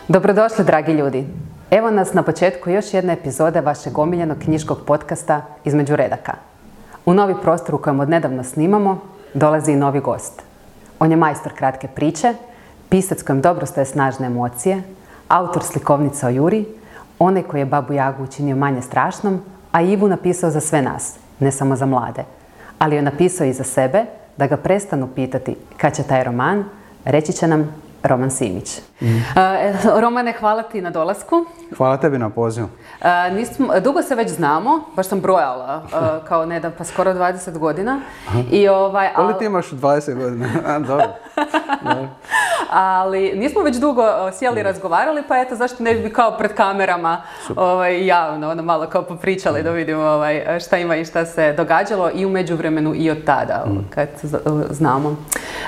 Dobrodošli, dragi ljudi. Evo nas na početku još jedne epizode vašeg omiljenog knjiškog podcasta Između redaka. U novi prostor u kojem odnedavno snimamo dolazi i novi gost. On je majstor kratke priče, pisac kojem dobro stoje snažne emocije, autor slikovnica o Juri, onaj koji je Babu Jagu učinio manje strašnom, a Ivu napisao za sve nas, ne samo za mlade. Ali je napisao i za sebe, da ga prestanu pitati kad će taj roman, reći će nam Roman Simić. Romane, hvala ti na dolasku. Hvala tebi na pozivu. Dugo se već znamo, baš sam brojala, kao nedavno, pa skoro 20 godina. Koliko ti imaš 20 godina? Dobro. Ali nismo već dugo sjeli i razgovarali, pa eto, zašto ne bi kao pred kamerama javno, malo kao popričali da vidimo šta ima i šta se događalo i u međuvremenu i od tada, kad znamo.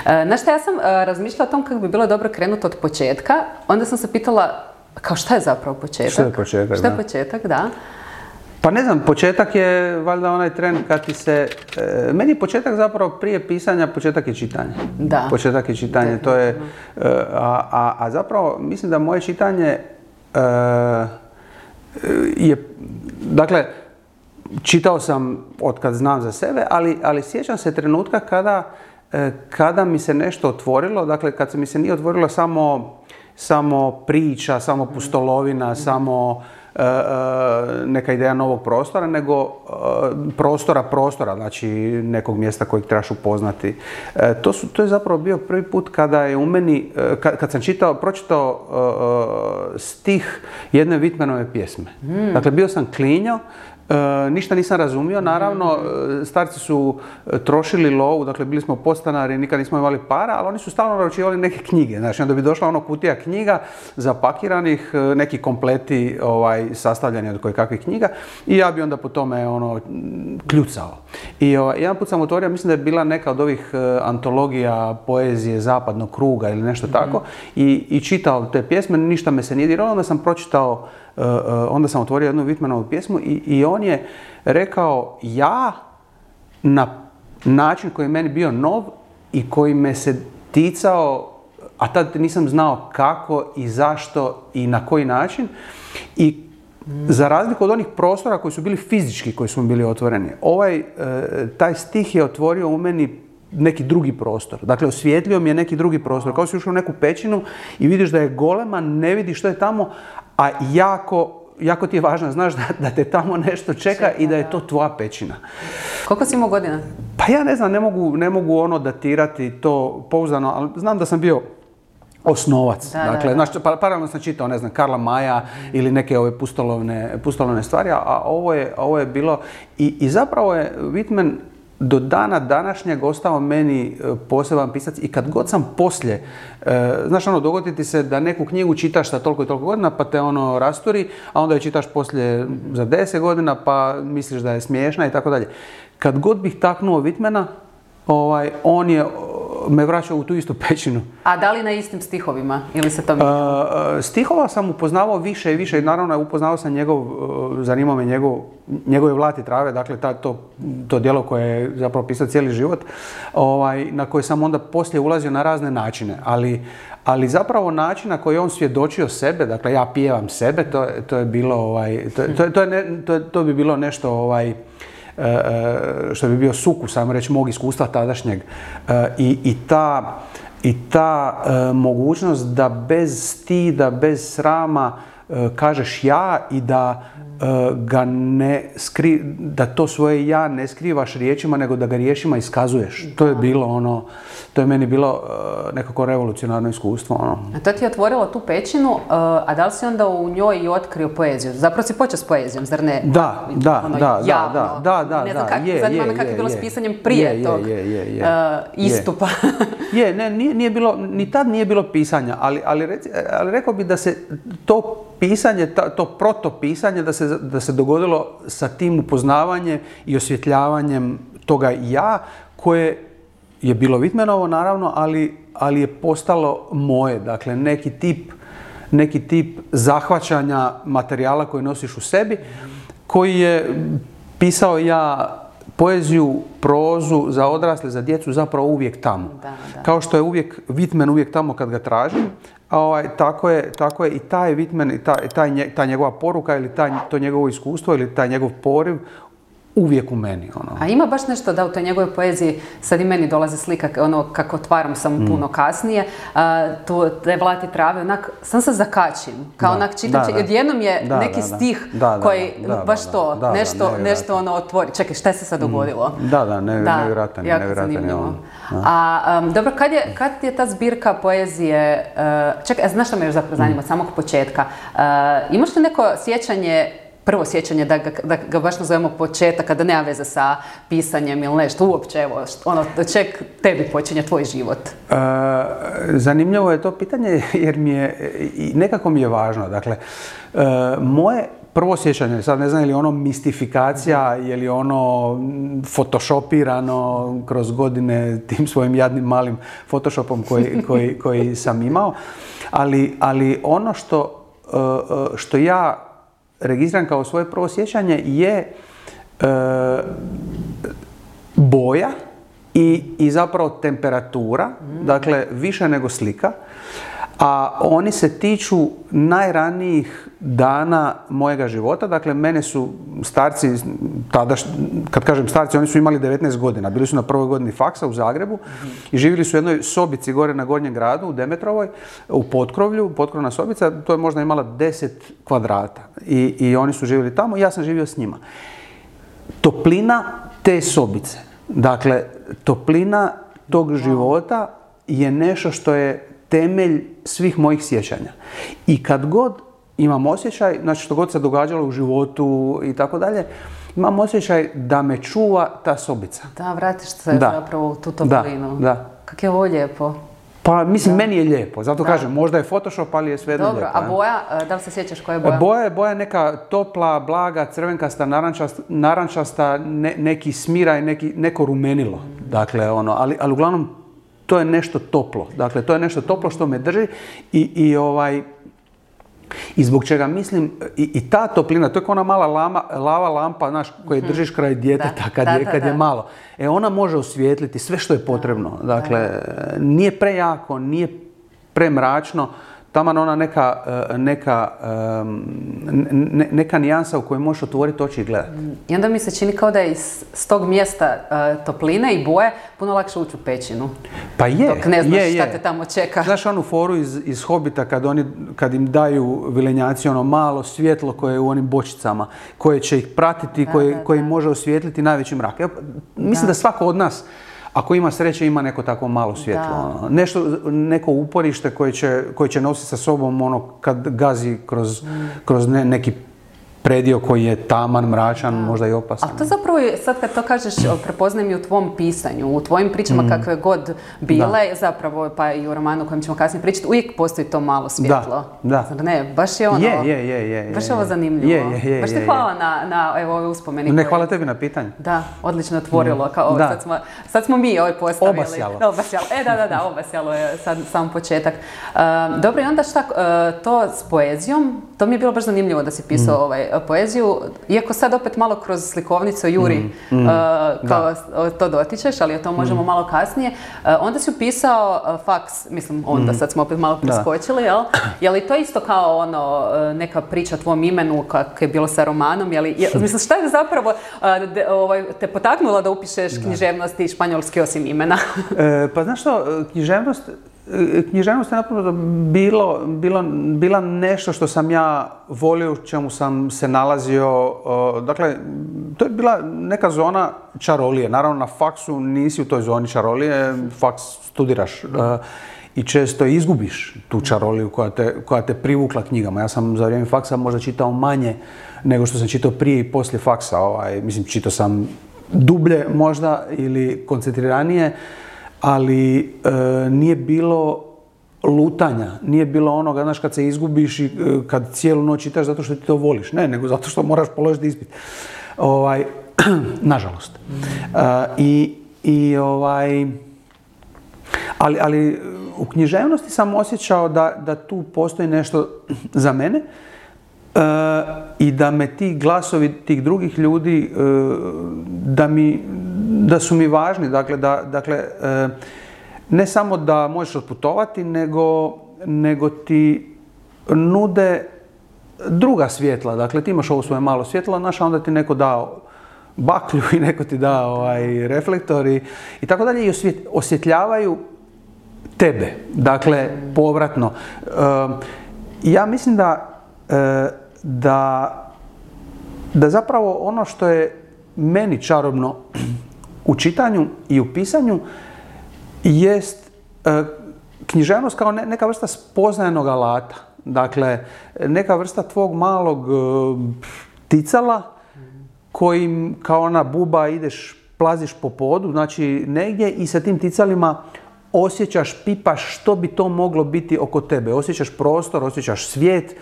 Znaš šta, ja sam razmišljala o tom kako bi bilo dobro krenuti od početka, onda sam se pitala, kao šta je zapravo početak? Šta je početak, Šta je početak, da. Pa ne znam, početak je valjda onaj tren kad ti se... meni je početak zapravo prije pisanja, početak je čitanje. Da. Početak je čitanje, to je... A zapravo mislim da moje čitanje je... Dakle, čitao sam od kad znam za sebe, ali sjećam se trenutka kada mi se nešto otvorilo, dakle kad se mi se nije otvorilo samo priča, samo pustolovina, samo neka ideja novog prostora, nego prostora, znači nekog mjesta kojeg trebaš upoznati. To je zapravo bio prvi put kada je u meni, kad sam pročitao stih jedne Whitmanove pjesme. Dakle, bio sam klinjo, ništa nisam razumio, naravno, starci su trošili lovu, dakle bili smo podstanari, nikad nismo imali para, ali oni su stalno naručivali neke knjige, znači onda bi došla kutija knjiga zapakiranih, neki kompleti sastavljeni od kojekakvih knjiga i ja bi onda po tome kljucao. I jedan put sam otvorio, mislim da je bila neka od ovih antologija poezije zapadnog kruga ili nešto tako i čitao te pjesme, ništa me se nije diralo, onda sam pročitao. Onda sam otvorio jednu Whitmanovu pjesmu i on je rekao ja na način koji je meni bio nov i koji me se ticao, a tad nisam znao kako i zašto i na koji način. I za razliku od onih prostora koji su bili fizički, koji su bili otvoreni, taj stih je otvorio u meni neki drugi prostor. Dakle, osvijetlio mi je neki drugi prostor. Kao si ušao u neku pećinu i vidiš da je golema, ne vidiš što je tamo, a jako ti je važno, znaš da te tamo nešto čeka i da je to tvoja pećina. Koliko si imao godina? Pa ja ne znam, ne mogu datirati to pouzdano, ali znam da sam bio osnovac. Dakle, znaš, paralelno sam čitao, ne znam, Karla Maja ili neke ove pustolovne stvari, a ovo je bilo i zapravo je Whitman do dana današnjeg ostao meni poseban pisac i kad god sam poslije, znaš dogodi ti se da neku knjigu čitaš sa toliko i toliko godina pa te rasturi, a onda je čitaš poslije za 10 godina pa misliš da je smiješna i tako dalje. Kad god bih taknuo Whitmana, on je me vraćao u tu istu pećinu. A da li na istim stihovima ili se to mijenjalo? Stihova sam upoznavao više i više i naravno upoznao sam zanimao me njegove Vlati trave, dakle to djelo koje je zapravo pisao cijeli život, na koje sam onda poslije ulazio na razne načine, ali zapravo način na koji on svjedočio sebe, dakle ja pijevam sebe, to je bilo, to bi bilo nešto što bi bio sukus, ajmo reći, mog iskustva tadašnjeg i ta mogućnost da bez stida, bez srama kažeš ja i da da to svoje ja ne skrivaš riječima, nego da ga riječima iskazuješ. To je bilo to je meni bilo nekako revolucionarno iskustvo. A to ti je otvorilo tu pećinu, a da li si onda u njoj i otkrio poeziju? Zapravo si počeo s poezijom, zar ne? Da. Ne znam zanima me kako je bilo s pisanjem prije tog istupa. Ni tad nije bilo pisanja, ali rekao bi da se to pisanje, to protopisanje da se dogodilo sa tim upoznavanjem i osvjetljavanjem toga ja, koje je bilo Whitmanovo naravno, ali je postalo moje. Dakle, neki tip zahvaćanja materijala koji nosiš u sebi, koji je pisao ja poeziju, prozu za odrasle, za djecu zapravo uvijek tamo. Da. Kao što je uvijek Whitman uvijek tamo kad ga tražim, tako je i taj Whitman, i ta njegova poruka ili to njegovo iskustvo ili taj njegov poriv uvijek u meni. A ima baš nešto da u toj njegovoj poeziji, sad i meni dolazi slika kako otvaram samo puno kasnije, te Vlati trave, onak, sam se zakačim, kao onak čitam, odjednom je neki stih koji baš to, nešto otvori. Čekaj, šta se sad dogodilo? Nevjerojatan. Jako zanimljivo. A dobro, kad je ta zbirka poezije, čekaj, znaš što me još zapravo zanima od samog početka, imaš li neko prvo sjećanje, da ga baš nazovemo početak, kada nema veze sa pisanjem ili nešto, uopće, evo, od čeg tebi počinje tvoj život? Zanimljivo je to pitanje jer nekako mi je važno. Dakle, moje prvo sjećanje, sad ne znam je li ono mistifikacija, je li ono photoshopirano kroz godine tim svojim jadnim malim photoshopom koji sam imao, ali ono što ja registriram kao svoje prvo sjećanje je boja i zapravo temperatura, dakle više nego slika, a oni se tiču najranijih dana mojega života. Dakle, mene su starci, tada, kad kažem starci, oni su imali 19 godina, bili su na prvoj godini faksa u Zagrebu i živjeli su u jednoj sobici gore na Gornjem gradu, u Demetrovoj, u potkrovlju, potkrovna sobica, to je možda imala 10 kvadrata i oni su živjeli tamo i ja sam živio s njima. Toplina te sobice, dakle, toplina tog života je nešto što je temelj svih mojih sjećanja. I kad god imam osjećaj, znači što god se događalo u životu i tako dalje, imam osjećaj da me čuva ta sobica. Da, vratiš se zapravo u tu toplinu. Da. Kako je ovo lijepo. Pa mislim, meni je lijepo, zato kažem, možda je Photoshop, ali je svejedno lijepo. Dobro, a boja, da li se sjećaš koja je boja? Boja je neka topla, blaga, crvenkasta, narančasta, neki smiraj, neko rumenilo. Dakle, ali uglavnom, to je nešto toplo. Dakle, to je nešto toplo što me drži i zbog čega mislim, i ta toplina, to je kao ona mala lava lampa, znaš, koju držiš kraj djeteta kad je malo. Ona može osvijetliti sve što je potrebno. Dakle, nije prejako, nije premračno, taman ona neka nijansa u kojoj možeš otvoriti oči i gledati. I onda mi se čini kao da je s tog mjesta topline i boje puno lakše ući u pećinu. Pa je. Dok ne znaš šta te tamo čeka. Znaš onu foru iz Hobita kad im daju vilenjaci ono malo svjetlo koje je u onim bočicama, koje će ih pratiti, koje može osvijetliti najveći mrak. Mislim da svako od nas, ako ima sreće, ima neko tako malo svjetlo. Neko uporište koje će nositi sa sobom kad gazi kroz neki predio koji je taman, mračan, možda i opasan. A to zapravo, sad kad to kažeš, prepoznajem i u tvom pisanju, u tvojim pričama kakve god bile, zapravo pa i u romanu o kojem ćemo kasnije pričati, uvijek postoji to malo svjetlo. Da. Zar ne? Baš je ono, baš je ovo zanimljivo. Baš ti hvala na ove uspomeni. Ne, hvala tebi na pitanju. Da, odlično otvorilo. Sad smo mi postavili. Obasjalo. Obasjalo je sad sam početak. Dobro, i onda šta, to s poezijom, to mi je bilo baš zanimljivo da si pisao poeziju, iako sad opet malo kroz slikovnicu Juri to dotičeš, ali o tom možemo malo kasnije. Onda si upisao faks, mislim onda, sad smo opet malo preskočili, jel? Je li to isto kao neka priča o tvom imenu kako je bilo sa romanom? Mislim, šta je zapravo te potaknulo da upišeš književnost i španjolski osim imena? Pa znaš što, književnost je napravo bila nešto što sam ja volio, u čemu sam se nalazio. Dakle, to je bila neka zona čarolije. Naravno, na faksu nisi u toj zoni čarolije, faks studiraš i često izgubiš tu čaroliju koja te privukla knjigama. Ja sam za vrijeme faksa možda čitao manje nego što sam čitao prije i poslije faksa. Mislim, čitao sam dublje možda ili koncentriranije, ali nije bilo lutanja, nije bilo onoga, znaš, kad se izgubiš i kad cijelu noć čitaš zato što ti to voliš. Ne, nego zato što moraš položiti ispit. Nažalost. Ali u književnosti sam osjećao da tu postoji nešto za mene I da me ti glasovi tih drugih ljudi, da su mi važni. Dakle, ne samo da možeš otputovati, nego ti nude druga svjetla. Dakle, ti imaš ovo svoje malo svjetlo, znaš, a onda ti neko dao baklju i neko ti da reflektor i tako dalje, i osvjetljavaju tebe. Dakle, povratno. Ja mislim da zapravo ono što je meni čarobno u čitanju i u pisanju jest književnost kao neka vrsta spoznajanog alata. Dakle, neka vrsta tvog malog ticala kojim kao ona buba ideš, plaziš po podu, znači negdje, i sa tim ticalima osjećaš, pipaš što bi to moglo biti oko tebe. Osjećaš prostor, osjećaš svijet.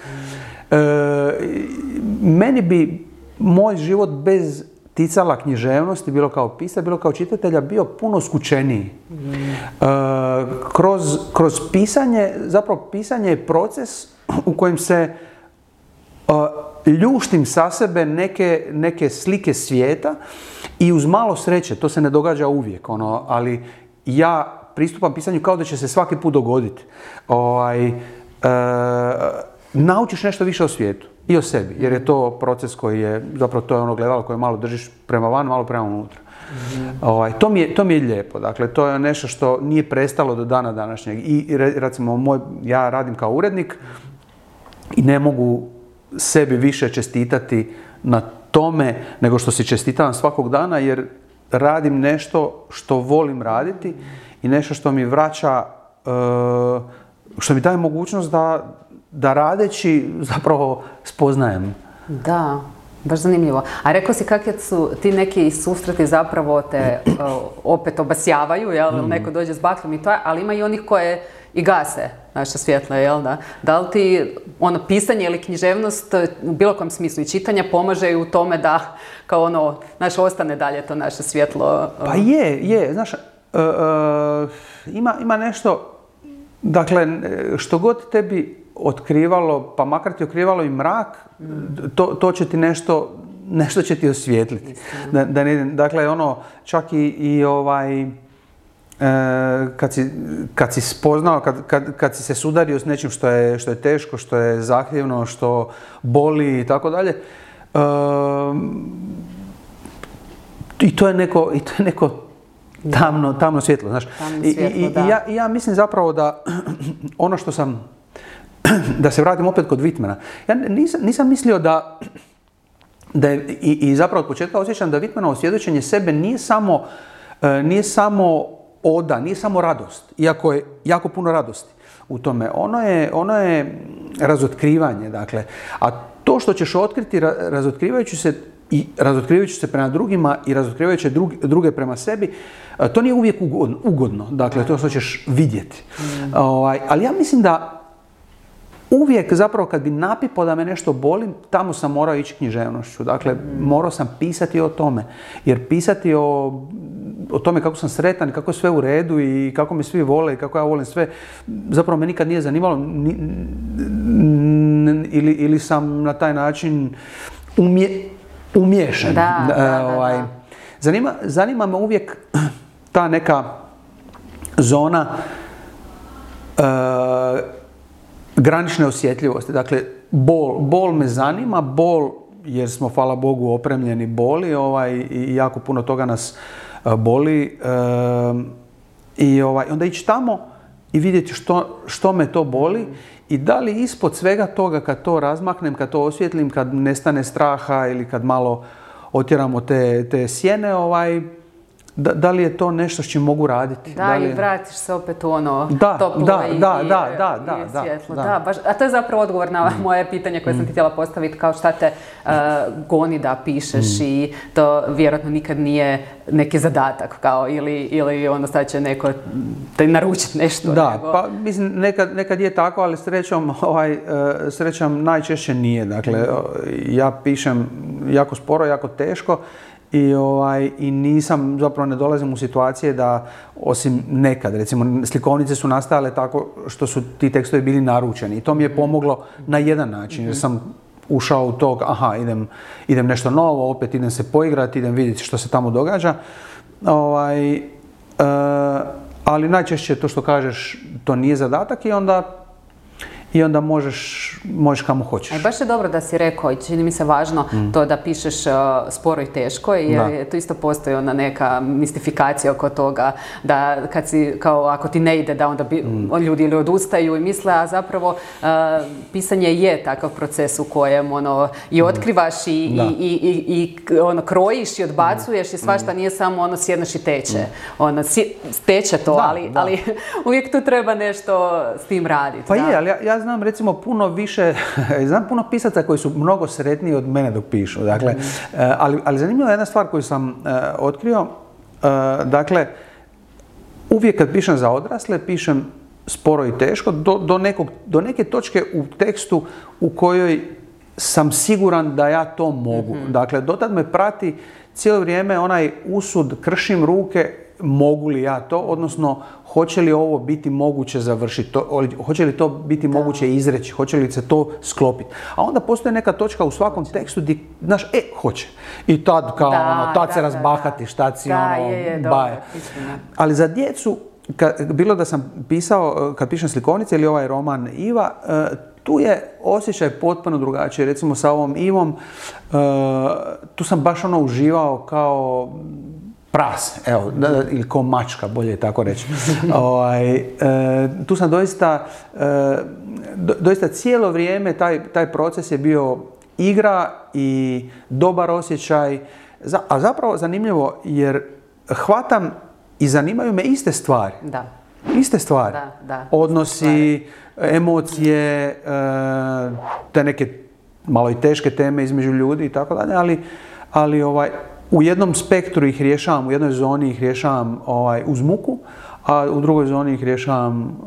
Meni bi moj život bez ticala književnosti, bilo kao pisac, bilo kao čitatelja, bio puno skučeniji. Kroz pisanje, zapravo pisanje je proces u kojem se ljuštim sa sebe neke slike svijeta i uz malo sreće, to se ne događa uvijek, ali ja pristupam pisanju kao da će se svaki put dogoditi. Naučiš nešto više o svijetu i o sebi, jer je to proces koji je, zapravo to je ono gledalo koje malo držiš prema van, malo prema unutra. To mi je lijepo, dakle to je nešto što nije prestalo do dana današnjeg. I recimo, ja radim kao urednik i ne mogu sebi više čestitati na tome nego što si čestitam svakog dana, jer radim nešto što volim raditi i nešto što mi vraća, što mi daje mogućnost da radeći zapravo spoznajem. Da, baš zanimljivo. A rekao si kakvi su ti neki susreti zapravo te opet obasjavaju, jel? Neko dođe s bakljom i to, ali ima i onih koje i gase naše svjetlo, jel da? Da li ti pisanje ili književnost u bilo kom smislu i čitanja pomaže u tome da kao ostane dalje to naše svjetlo? Pa je. Znaš, ima nešto, dakle, što god tebi otkrivalo, pa makar ti otkrivalo i mrak, to će ti nešto će ti osvijetliti. Dakle, čak kad si spoznao, kad si se sudario s nečim što je teško, što je zahtjevno, što boli i tako dalje, i to je neko tamno svjetlo, znaš. I ja mislim zapravo da ono što sam, da se vratim opet kod Whitmana, ja nisam mislio da je, i zapravo od početka osjećam da Whitmanovo svjedočenje sebe nije samo oda, nije samo radost, iako je jako puno radosti u tome. Ono je razotkrivanje, dakle. A to što ćeš otkriti razotkrivajući se prema drugima i razotkrivajući druge prema sebi, to nije uvijek ugodno, dakle, to što ćeš vidjeti. Ali ja mislim da uvijek zapravo kad bi napipao da me nešto boli, tamo sam morao ići književnošću. Dakle, morao sam pisati o tome. Jer pisati o tome kako sam sretan, kako je sve u redu i kako me svi vole i kako ja volim sve, zapravo me nikad nije zanimalo. Ili sam na taj način umiješan. Da. Zanima me uvijek ta neka zona granične osjetljivosti. Dakle, bol me zanima, bol jer smo, hvala Bogu, opremljeni boli i jako puno toga nas boli. I onda ići tamo i vidjeti što me to boli i da li ispod svega toga kad to razmaknem, kad to osvijetlim, kad nestane straha ili kad malo otjeramo te sjene, da li je to nešto s čim mogu raditi? Da, i vratiš se opet u toplo i svjetlo. Da, baš, a to je zapravo odgovor na moje pitanje koje sam ti htjela postaviti, kao šta te goni da pišeš i to vjerojatno nikad nije neki zadatak, kao ili onda sad će neko te naručiti nešto. Da, pa mislim nekad je tako, ali srećom najčešće nije. Dakle, ja pišem jako sporo, jako teško. I nisam, zapravo ne dolazim u situacije da, osim nekad, recimo slikovnice su nastajale tako što su ti tekstovi bili naručeni i to mi je pomoglo na jedan način jer sam ušao u tog, aha, idem nešto novo, opet idem se poigrati, idem vidjeti što se tamo događa. Ali najčešće to što kažeš, to nije zadatak i onda možeš kamo hoćeš. Baš je dobro da si rekao i čini mi se važno to da pišeš sporo i teško, jer tu isto postoji ona neka mistifikacija oko toga da kad si, kao ako ti ne ide da onda ljudi ili odustaju i misle, a zapravo pisanje je takav proces u kojem i otkrivaš i krojiš i odbacuješ i svašta, nije samo sjedneš i teče. Teče to, ali uvijek tu treba nešto s tim raditi. Pa je, ali ja znam recimo puno više, znam puno pisaca koji su mnogo sretniji od mene dok pišu. Dakle, ali zanimljiva je jedna stvar koju sam otkrio. Dakle, uvijek kad pišem za odrasle, pišem sporo i teško do neke točke u tekstu u kojoj sam siguran da ja to mogu. Dakle, dotad me prati cijelo vrijeme onaj usud, kršim ruke, mogu li ja to, odnosno hoće li ovo biti moguće završiti, hoće li to biti moguće izreći, hoće li se to sklopiti. A onda postoji neka točka u svakom tekstu gdje, znaš, hoće. I tad kao tad se razbahatiš, tad si baje. Ali za djecu, bilo da sam pisao, kad pišem slikovnice ili ovaj roman Iva, tu je osjećaj potpuno drugačiji. Recimo sa ovom Ivom, tu sam baš uživao kao prase, evo, ili ko mačka, bolje je tako reći. Tu sam doista cijelo vrijeme, taj proces je bio igra i dobar osjećaj, a zapravo zanimljivo jer hvatam i zanimaju me iste stvari. Da. Iste stvari. Da. Odnosi, emocije, te neke malo i teške teme između ljudi i tako dalje, ali u jednom spektru ih rješavam, u jednoj zoni ih rješavam uz muku, a u drugoj zoni ih rješavam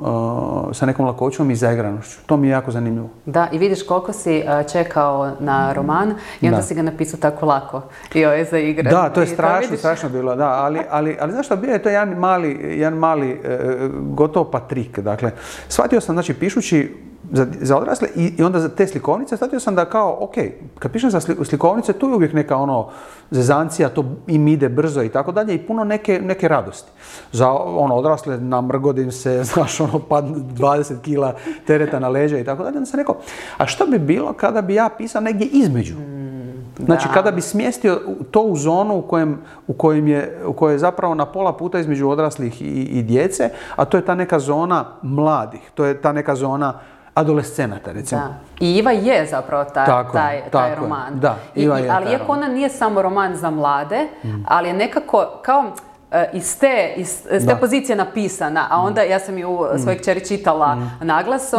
sa nekom lakoćom i zaigranošću. To mi je jako zanimljivo. Da, i vidiš koliko si čekao na roman i onda si ga napisao tako lako. Za igre. Da, to je strašno bilo, da, ali znaš što, bio je to jedan mali gotovo pa trik. Dakle, shvatio sam, znači, pišući za odrasle i onda za te slikovnice, shvatio sam da kao, ok, kad pišem za slikovnice, tu je uvijek neka zezancija, to im ide brzo i tako dalje i puno neke radosti. Za odrasle namrgodim se, znaš, pad 20 kila tereta na leđa i tako dalje. Onda sam rekao, a što bi bilo kada bi ja pisao negdje između? Znači, kada bi smjestio to u zonu u kojoj je zapravo na pola puta između odraslih i djece, a to je ta neka zona mladih, to je ta neka zona adolescenata, recimo. Da. I Iva je zapravo taj roman. Da, Iva je ali iako ona nije samo roman za mlade, ali je nekako kao iz te pozicije napisana, a onda ja sam ju svojoj kćeri čitala naglas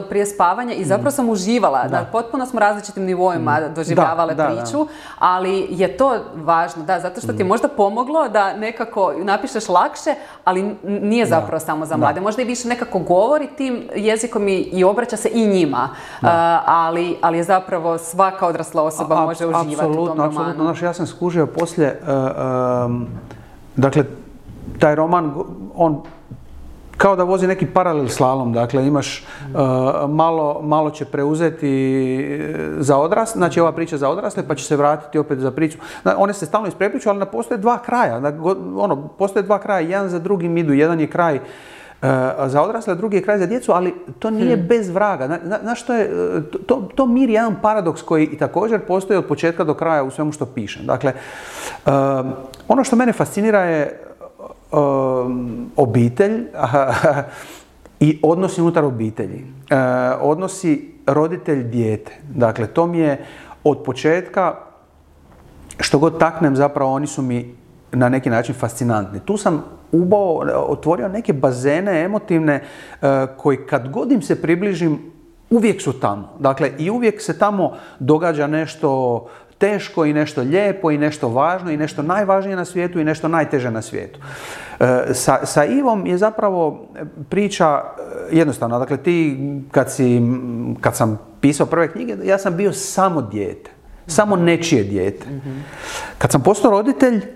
prije spavanja i zapravo sam uživala. Potpuno smo različitim nivoima doživljavale priču, ali je to važno, zato što ti je možda pomoglo da nekako napišeš lakše, ali nije zapravo samo za mlade. Možda i više nekako govori tim jezikom i obraća se i njima, ali je zapravo svaka odrasla osoba može uživati u tom romanu. Apsolutno. Ja sam skužio poslije, dakle, taj roman, on kao da vozi neki paralel slalom, dakle imaš malo će preuzeti za odrasle, znači ova priča za odrasle, pa će se vratiti opet za priču. One se stalno isprepliču, ali ne postoje dva kraja. Postoje dva kraja, jedan za drugim idu, jedan je kraj za odrasle, drugi je kraj za djecu, ali to nije bez vraga. Znaš što je, to miri jedan paradoks koji i također postoji od početka do kraja u svemu što pišem. Dakle, ono što mene fascinira je obitelj i odnosi unutar obitelji. Odnosi roditelj-dijete. Dakle, to mi je od početka, što god taknem, zapravo oni su mi na neki način fascinantni. Tu sam otvorio neke bazene emotivne koji kad god im se približim, uvijek su tamo. Dakle, i uvijek se tamo događa nešto teško i nešto lijepo i nešto važno i nešto najvažnije na svijetu i nešto najteže na svijetu. Sa Ivom je zapravo priča jednostavna. Dakle, ti kad sam pisao prve knjige, ja sam bio samo dijete. Samo nečije dijete. Kad sam postao roditelj,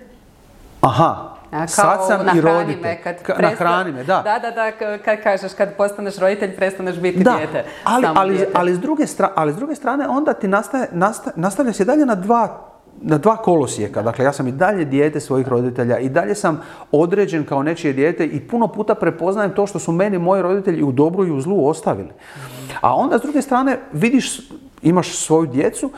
Sad sam i roditelj. Nahrani me, da. Da, kad kažeš, kad postaneš roditelj, prestaneš biti dijete. Ali s druge strane, onda ti nastavlja se dalje na dva kolosijeka. Dakle, ja sam i dalje dijete svojih roditelja, i dalje sam određen kao nečije dijete i puno puta prepoznajem to što su meni moji roditelji u dobru i u zlu ostavili. A onda s druge strane vidiš, imaš svoju djecu,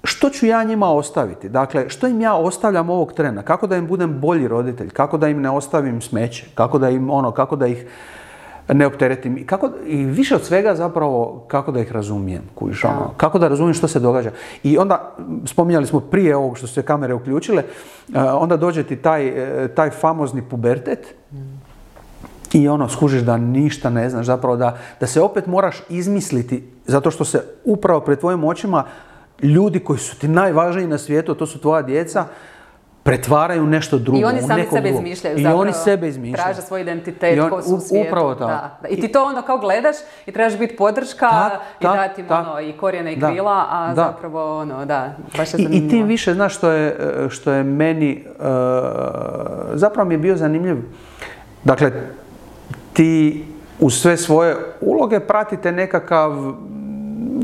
što ću ja njima ostaviti? Dakle, što im ja ostavljam ovog trena? Kako da im budem bolji roditelj? Kako da im ne ostavim smeće? Kako da ih ne opteretim? I više od svega zapravo kako da ih razumijem, kako da razumijem što se događa. I onda, spominjali smo prije ovog što su se kamere uključile, onda dođe ti taj famozni pubertet i skužiš da ništa ne znaš, zapravo da se opet moraš izmisliti, zato što se upravo pred tvojim očima ljudi koji su ti najvažniji na svijetu, to su tvoja djeca, pretvaraju nešto drugo. I oni sami sebe izmišljaju. I oni sebe izmišljaju. Traže svoj identitet, ko su u svijetu. Upravo tako. Da. I ti to onda kao gledaš i trebaš biti podrška i dati im i korijene i krila, a zapravo baš je zanimljivo. I tim više, znaš, što je meni, zapravo mi je bio zanimljiv. Dakle, ti u sve svoje uloge pratite nekakav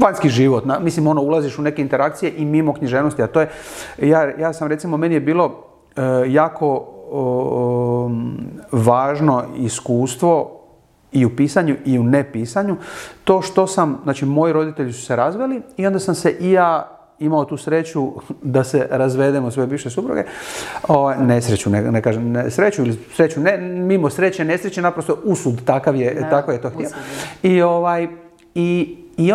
vanjski život. Mislim, ulaziš u neke interakcije i mimo književnosti, a to je, ja sam recimo, meni je bilo jako važno iskustvo i u pisanju i u nepisanju, to što sam, znači moji roditelji su se razveli i onda sam se i ja imao tu sreću da se razvedemo svoje bivše supruge. Nesreću, ne kažem sreću ili sreću, mimo sreće, nesreće, naprosto usud, tako je to htio. I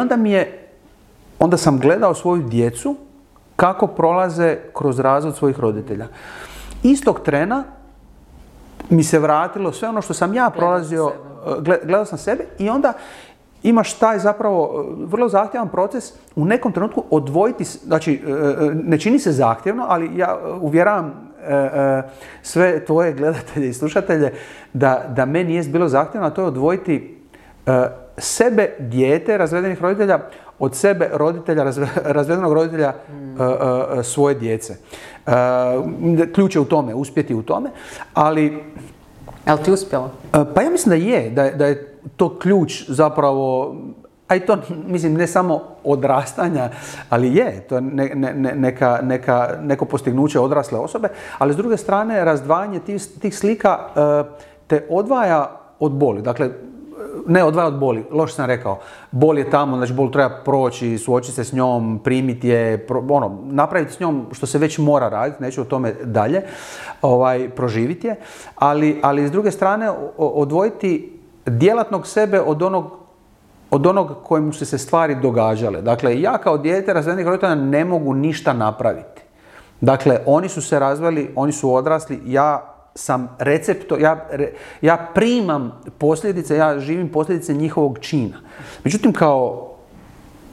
onda sam gledao svoju djecu kako prolaze kroz razvod svojih roditelja. Istog trena mi se vratilo sve ono što sam ja prolazio, gledao sam sebe i onda imaš taj zapravo vrlo zahtjevan proces u nekom trenutku odvojiti, znači ne čini se zahtjevno, ali ja uvjeravam sve tvoje gledatelje i slušatelje da meni jest bilo zahtjevno, a to je odvojiti sebe, dijete razvedenih roditelja, od sebe, roditelja, razvedenog roditelja svoje djece. Ključ je u tome, uspjeti u tome, ali... Je li ti uspjelo? Pa ja mislim da je to ključ zapravo, a i to, mislim, ne samo odrastanja, ali je to neko postignuće odrasle osobe, ali s druge strane razdvajanje tih slika te odvaja od boli. Dakle, ne odvaja od boli, loše sam rekao. Bol je tamo, znači bol treba proći, suočiti se s njom, primiti je, napraviti s njom što se već mora raditi, neću o tome dalje, proživiti je, ali s druge strane odvojiti djelatnog sebe od onog kojemu su se stvari događale. Dakle, ja kao dijete razvedenih roditelja ne mogu ništa napraviti. Dakle, oni su se razveli, oni su odrasli, ja sam receptor, ja primam posljedice, ja živim posljedice njihovog čina. Međutim, kao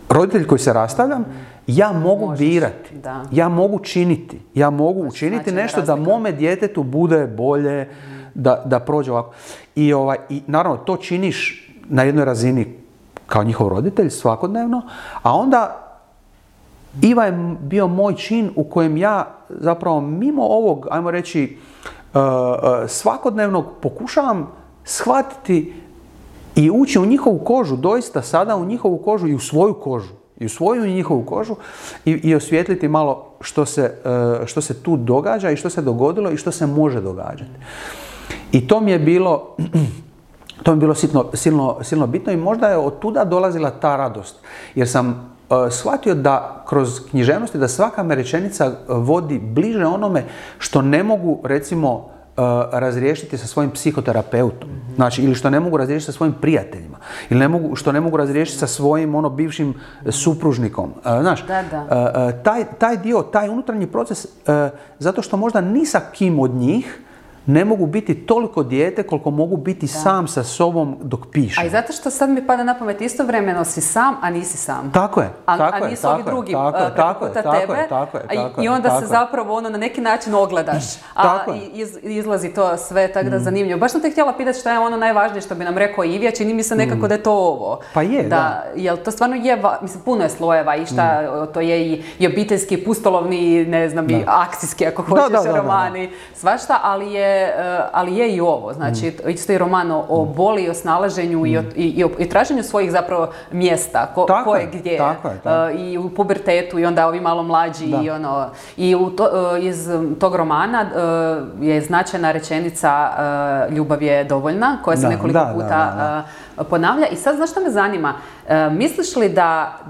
roditelj koji se rastavljam, ja mogu birati, ja mogu činiti, ja mogu učiniti nešto da mome djetetu bude bolje, da prođe ovako. I naravno, to činiš na jednoj razini kao njihov roditelj svakodnevno, a onda Iva je bio moj čin u kojem ja zapravo mimo ovog, ajmo reći, svakodnevno pokušavam shvatiti i ući u njihovu kožu, doista sada u njihovu kožu i u svoju kožu, i u svoju i njihovu kožu i osvijetliti malo što se tu događa i što se dogodilo i što se može događati. I to mi je bilo silno bitno i možda je od tuda dolazila ta radost, jer sam shvatio da kroz književnosti da svaka me rečenica vodi bliže onome što ne mogu, recimo, razriješiti sa svojim psihoterapeutom. Znači, ili što ne mogu razriješiti sa svojim prijateljima. Ili što ne mogu razriješiti sa svojim bivšim supružnikom. Znaš, taj dio, taj unutarnji proces, zato što možda ni sa kim od njih ne mogu biti toliko dijete koliko mogu biti sam sa sobom dok pišem. A i zato što sad mi pada na pamet, istovremeno si sam, a nisi sam. Tako je. A nisu ovi drugi preko puta tebe. I onda se zapravo na neki način ogledaš. A izlazi to sve tako da zanimljivo. Baš sam te htjela pitati šta je najvažnije što bi nam rekao Ivija, čini mi se nekako da je to ovo. Pa je, da. Jel to stvarno je, mislim, puno je slojeva i šta, to je i obiteljski, pustolovni, ne znam, i akcijski, ako hoćeš, romani, svašta, ali je ali je i ovo, znači isto i roman o boli i o snalaženju i traženju svojih zapravo mjesta, ko je gdje, i u pubertetu i onda ovi malo mlađi i iz tog romana je značajna rečenica ljubav je dovoljna, koja se nekoliko puta ponavlja. I sad, znaš što me zanima? Misliš li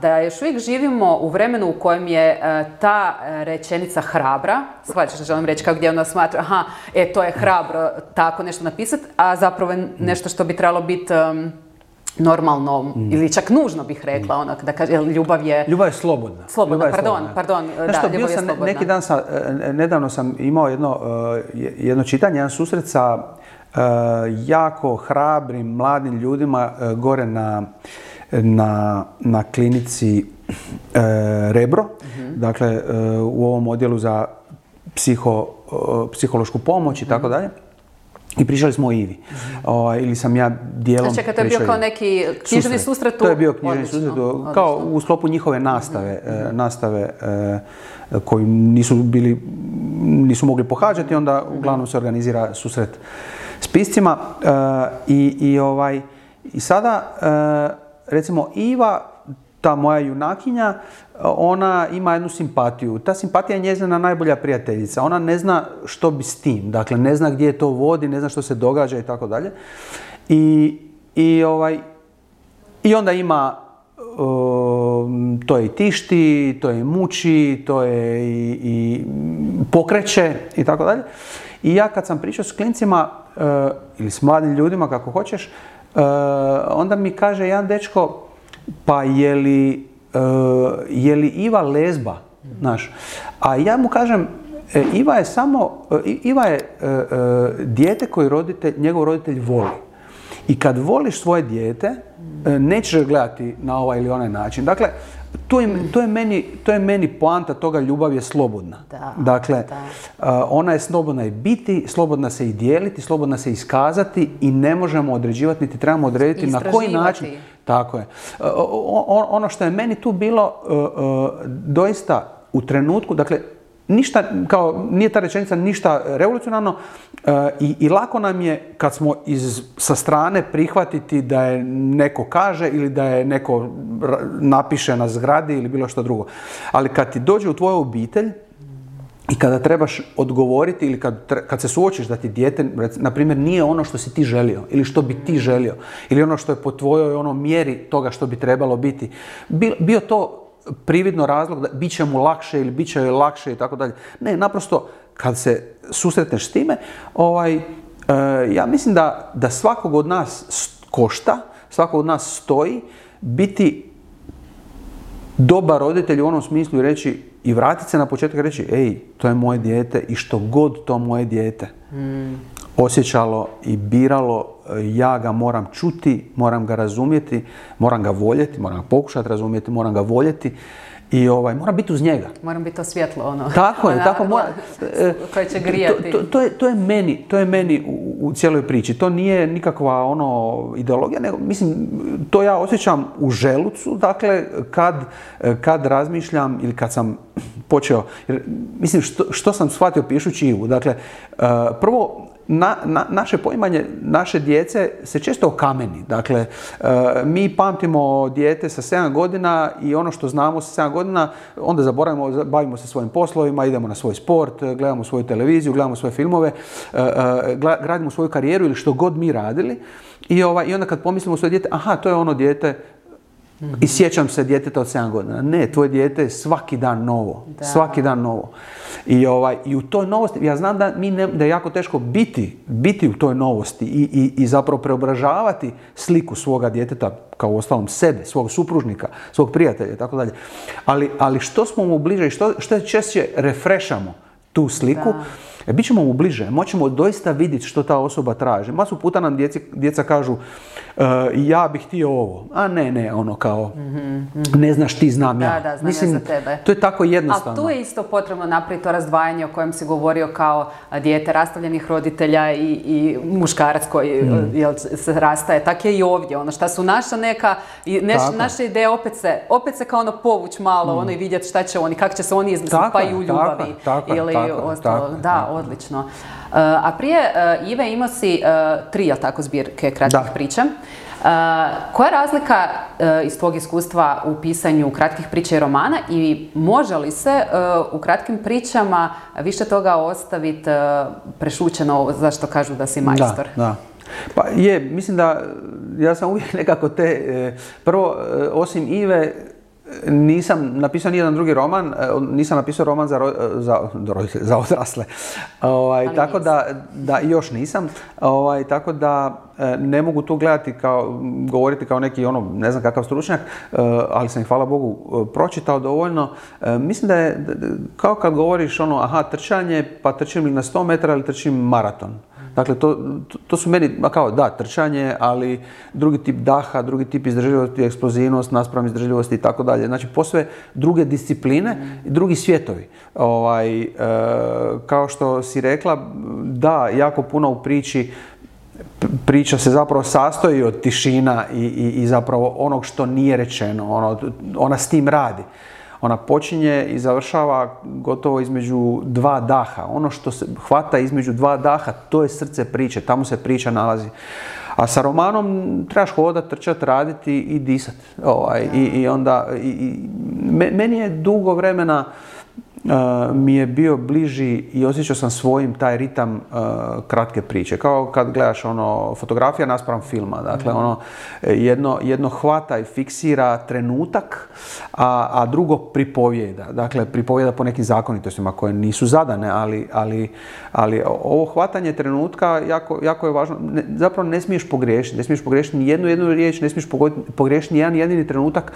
da još uvijek živimo u vremenu u kojem je ta rečenica hrabra, shvaćaš što želim reći, kao gdje ona smatra, to je hrabro tako nešto napisati, a zapravo je nešto što bi trebalo biti normalno, ili čak nužno bih rekla, da kaže, ljubav je slobodna. Pardon, ljubav je slobodna. Neki dan nedavno sam imao jedno čitanje, jedan susret sa jako hrabrim, mladim ljudima gore na klinici Rebro, dakle u ovom odjelu za psihološku pomoć i tako dalje. I pričali smo o Ivi. Ili sam ja dijelom pričao. To je bio kao neki književni susret? To je bio književni susret, kao u sklopu njihove nastave koju nisu mogli pohađati, onda uglavnom se organizira susret s piscima. I sada, recimo, Iva, ta moja junakinja, ona ima jednu simpatiju. Ta simpatija je njezina najbolja prijateljica. Ona ne zna što bi s tim. Dakle, ne zna gdje to vodi, ne zna što se događa i tako dalje. I onda ima, to je i tišti, to je i muči, to je i pokreće i tako dalje. I ja kad sam pričao s klincima, ili s mladim ljudima, kako hoćeš, onda mi kaže jedan dečko, pa je li Iva lezba, znaš? A ja mu kažem, Iva je dijete koje njegov roditelj voli. I kad voliš svoje dijete, nećeš gledati na ovaj ili onaj način. Dakle, to je meni poanta toga, ljubav je slobodna. Dakle, ona je slobodna i biti, slobodna se i dijeliti, slobodna se iskazati i ne možemo određivati, niti trebamo odrediti na koji način. Tako je. Ono što je meni tu bilo doista u trenutku, dakle, ništa, kao nije ta rečenica ništa revolucionarno i lako nam je kad smo sa strane prihvatiti da je neko kaže ili da je neko napiše na zgradi ili bilo što drugo. Ali kad ti dođe u tvoju obitelj i kada trebaš odgovoriti ili kad se suočiš da ti dijete, na primjer, nije ono što si ti želio ili što bi ti želio ili ono što je po tvojoj mjeri toga što bi trebalo biti, bio to prividno razlog da bit će mu lakše ili bit će joj lakše i tako dalje. Ne, naprosto kad se susretneš s time, ja mislim da svakog od nas košta, svakog od nas stoji biti dobar roditelj u onom smislu i reći i vratiti se na početak i reći, ej, to je moje dijete i što god to moje dijete osjećalo i biralo, ja ga moram čuti, moram ga razumjeti, moram ga voljeti, moram ga pokušati razumjeti, moram ga voljeti i moram biti uz njega. Moram biti to svjetlo, Tako je, tako mora. Koje će grijati. To je meni u cijeloj priči. To nije nikakva ideologija, nego mislim, to ja osjećam u želucu, dakle, kad razmišljam ili kad sam počeo, jer, mislim, što sam shvatio pišući Ivu. Dakle, prvo, naše poimanje naše djece se često okameni. Dakle, mi pamtimo dijete sa 7 godina i ono što znamo sa 7 godina, onda zaboravimo, bavimo se svojim poslovima, idemo na svoj sport, gledamo svoju televiziju, gledamo svoje filmove, gradimo svoju karijeru ili što god mi radili. I onda kad pomislimo svoje dijete, aha, to je ono dijete, i sjećam se djeteta od 7 godina. Ne, tvoje dijete je svaki dan novo. Da. Svaki dan novo. I u toj novosti, ja znam da je jako teško biti u toj novosti i zapravo preobražavati sliku svoga djeteta, kao uostalom sebe, svog supružnika, svog prijatelja i tako dalje. Ali što smo mu bliže i što češće refreshamo tu sliku, bit ćemo mu bliže, moćemo doista vidjeti što ta osoba traži. Masu puta nam djeca kažu, ja bih htio ovo, a ne, kao, ne znaš ti, znam ja. Da, znam ja za tebe. To je tako jednostavno. Ali tu je isto potrebno napraviti to razdvajanje o kojem si govorio kao dijete rastavljenih roditelja i muškarac koji se rastaje. Tako je i ovdje. Šta su naša neka, naše ideje opet se kao povuć malo, i vidjeti šta će oni, kako će se oni izmisliti, pa i u ljubavi. Ili ostalo. Da, odlično. A prije Ive imao si 3 tako zbirke kratkih priča. Koja je razlika iz tvog iskustva u pisanju kratkih priča i romana i može li se u kratkim pričama više toga ostaviti prešućeno zašto kažu da si majstor? Da. Pa mislim da ja sam uvijek nekako prvo osim Ive nisam napisao nijedan drugi roman, nisam napisao roman za odrasle, tako da još nisam, tako da ne mogu tu govoriti kao neki ne znam kakav stručnjak, ali sam ih hvala Bogu pročitao dovoljno. Mislim da je kao kad govoriš trčanje, pa trčim li na 100 metara ili trčim maraton. Dakle, to su meni, trčanje, ali drugi tip daha, drugi tip izdržljivosti, eksplozivnost, naspram izdržljivosti i tako dalje. Znači, posve druge discipline i drugi svjetovi. Kao što si rekla, da, jako puno u priča se zapravo sastoji od tišina i zapravo onog što nije rečeno. Ona s tim radi. Ona počinje i završava gotovo između 2 daha. Ono što se hvata između 2 daha, to je srce priče, tamo se priča nalazi. A sa romanom trebaš hodati, trčati, raditi i disati. Meni je dugo vremena mi je bio bliži i osjećao sam svojim taj ritam kratke priče. Kao kad gledaš fotografija naspram filma. Dakle, jedno hvata i fiksira trenutak, a drugo pripovijeda. Dakle, pripovijeda po nekim zakonitostima koje nisu zadane, ali ovo hvatanje trenutka jako je važno. Zapravo ne smiješ pogriješiti. Ne smiješ pogriješiti ni jednu riječ, ne smiješ pogriješiti ni jedan jedini trenutak.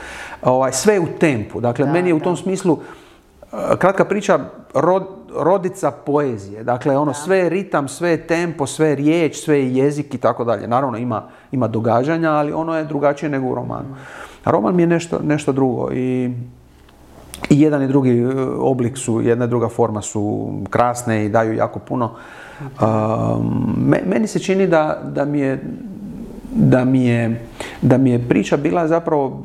Sve je u tempu. Dakle, meni je u tom smislu kratka priča rodica poezije. Dakle, sve je ritam, sve je tempo, sve je riječ, sve je jezik i tako dalje. Naravno, ima događanja, ali ono je drugačije nego u romanu. A roman mi je nešto drugo i jedan i drugi oblik su, jedna i druga forma su krasne i daju jako puno. Meni se čini da mi je priča bila zapravo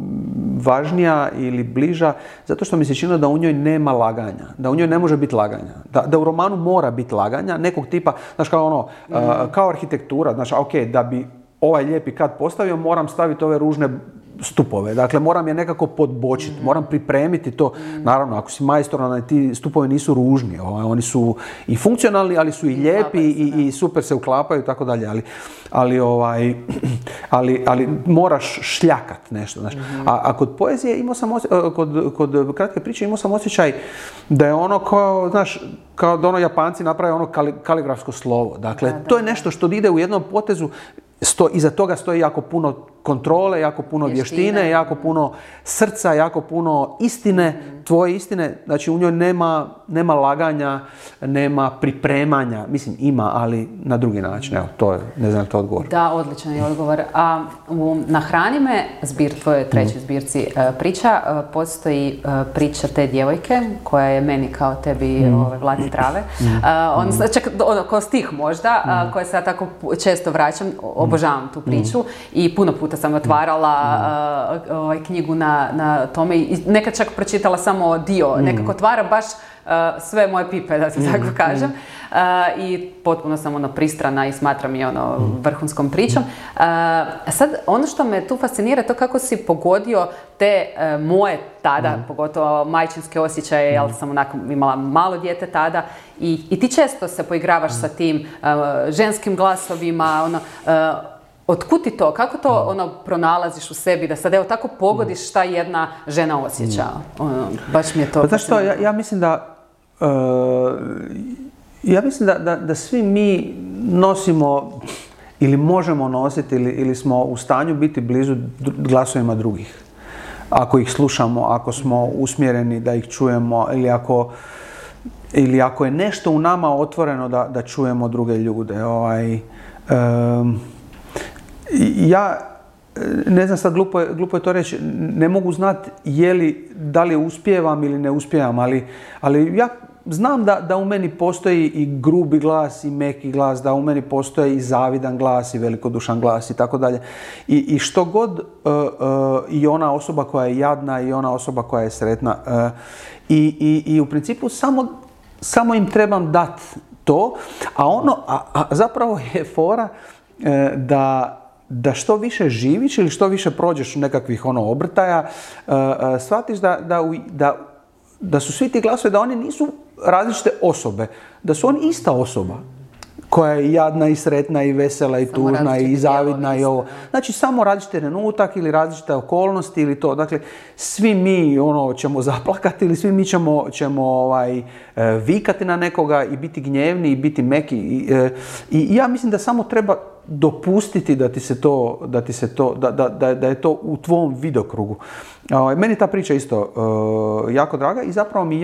važnija ili bliža, zato što mi se činilo da u njoj nema laganja, da u njoj ne može biti laganja, da u romanu mora biti laganja, nekog tipa, znaš kao arhitektura, znaš, da bi ovaj lijepi kat postavio, moram staviti ove ružne stupove, dakle moram je nekako podbočiti, moram pripremiti to. Naravno, ako si majstor, ti stupovi nisu ružni, oni su i funkcionalni, ali su i lijepi i super se uklapaju i tako dalje, ali moraš šljakat nešto, znaš. A kod poezije kod kratke priče imao sam osjećaj da je kao da Japanci naprave kaligrafsko slovo. Dakle, to je nešto što ide u jednom potezu, iza toga stoji jako puno kontrole, jako puno vještine, jako puno srca, jako puno istine, tvoje istine. Znači, u njoj nema laganja, nema pripremanja. Mislim, ima, ali na drugi način. Evo, to je, ne znam, to odgovor. Da, odličan je odgovor. A Nahrani me, tvojoj trećoj zbirci priča, postoji priča te djevojke, koja je meni kao tebi Vladi trave. Čak kao stih možda, koja se ja tako često vraćam, obožavam tu priču i puno puta sam otvarala knjigu na tome i nekad čak pročitala samo dio, nekako otvara baš sve moje pipe, da se tako kažem. I potpuno sam pristrana i smatram je vrhunskom pričom. Sad, ono što me tu fascinira, to kako si pogodio te moje tada, pogotovo majčinske osjećaje, jer sam imala malo dijete tada i ti često se poigravaš sa tim ženskim glasovima, otkud ti to? Kako to pronalaziš u sebi da sad tako pogodiš šta jedna žena osjeća? Baš mi je to... Pa znaš što, ja mislim da svi mi nosimo ili možemo nositi ili smo u stanju biti blizu glasovima drugih. Ako ih slušamo, ako smo usmjereni da ih čujemo ili ako je nešto u nama otvoreno da čujemo druge ljude. Ja, ne znam sad, glupo je to reći, ne mogu znati da li uspijevam ili ne uspijevam, ali ja znam da u meni postoji i grubi glas i meki glas, da u meni postoji i zavidan glas i velikodušan glas i tako dalje. I što god i ona osoba koja je jadna i ona osoba koja je sretna. I u principu samo im trebam dati to, a zapravo je fora da što više živiš ili što više prođeš nekakvih obrtaja, shvatiš da su svi ti glasovi, da oni nisu različite osobe, da su oni ista osoba koja je jadna i sretna i vesela i tužna i zavidna i ovo. Znači samo različite trenutak ili različite okolnosti ili to. Dakle, svi mi ćemo zaplakati ili svi mi ćemo vikati na nekoga i biti gnjevni i biti meki. I ja mislim da samo treba dopustiti da je to u tvom vidokrugu. Meni ta priča isto jako draga i zapravo mi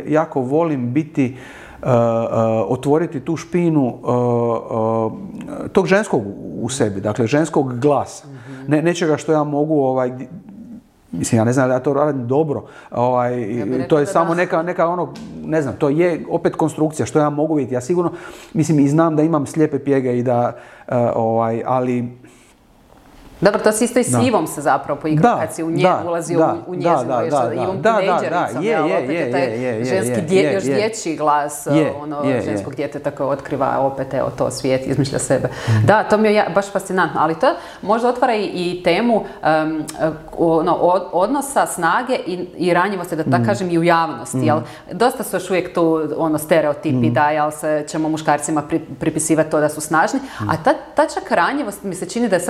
jako volim biti otvoriti tu špinu tog ženskog u sebi, dakle ženskog glasa. Nečega što ja mogu, mislim, ja ne znam da ja to radim dobro, to je samo neka ne znam, to je opet konstrukcija što ja mogu vidjeti. Ja sigurno, mislim, i znam da imam slijepe pjege i da, ali... Dobro, to si isto i s Ivom se zapravo poigrao kad si u nje ulazio u njezinu, Ivom tinejdžericom, opet je taj ženski još dječji glas ženskog djeteta koje otkriva opet to svijet, izmišlja sebe. Da, to mi je baš fascinantno, ali to možda otvara i temu odnosa, snage i ranjivosti, da tako kažem, i u javnosti. Jel? Dosta su još uvijek tu stereotipi da ćemo muškarcima pripisivati to da su snažni, a ta čak ranjivost mi se čini da je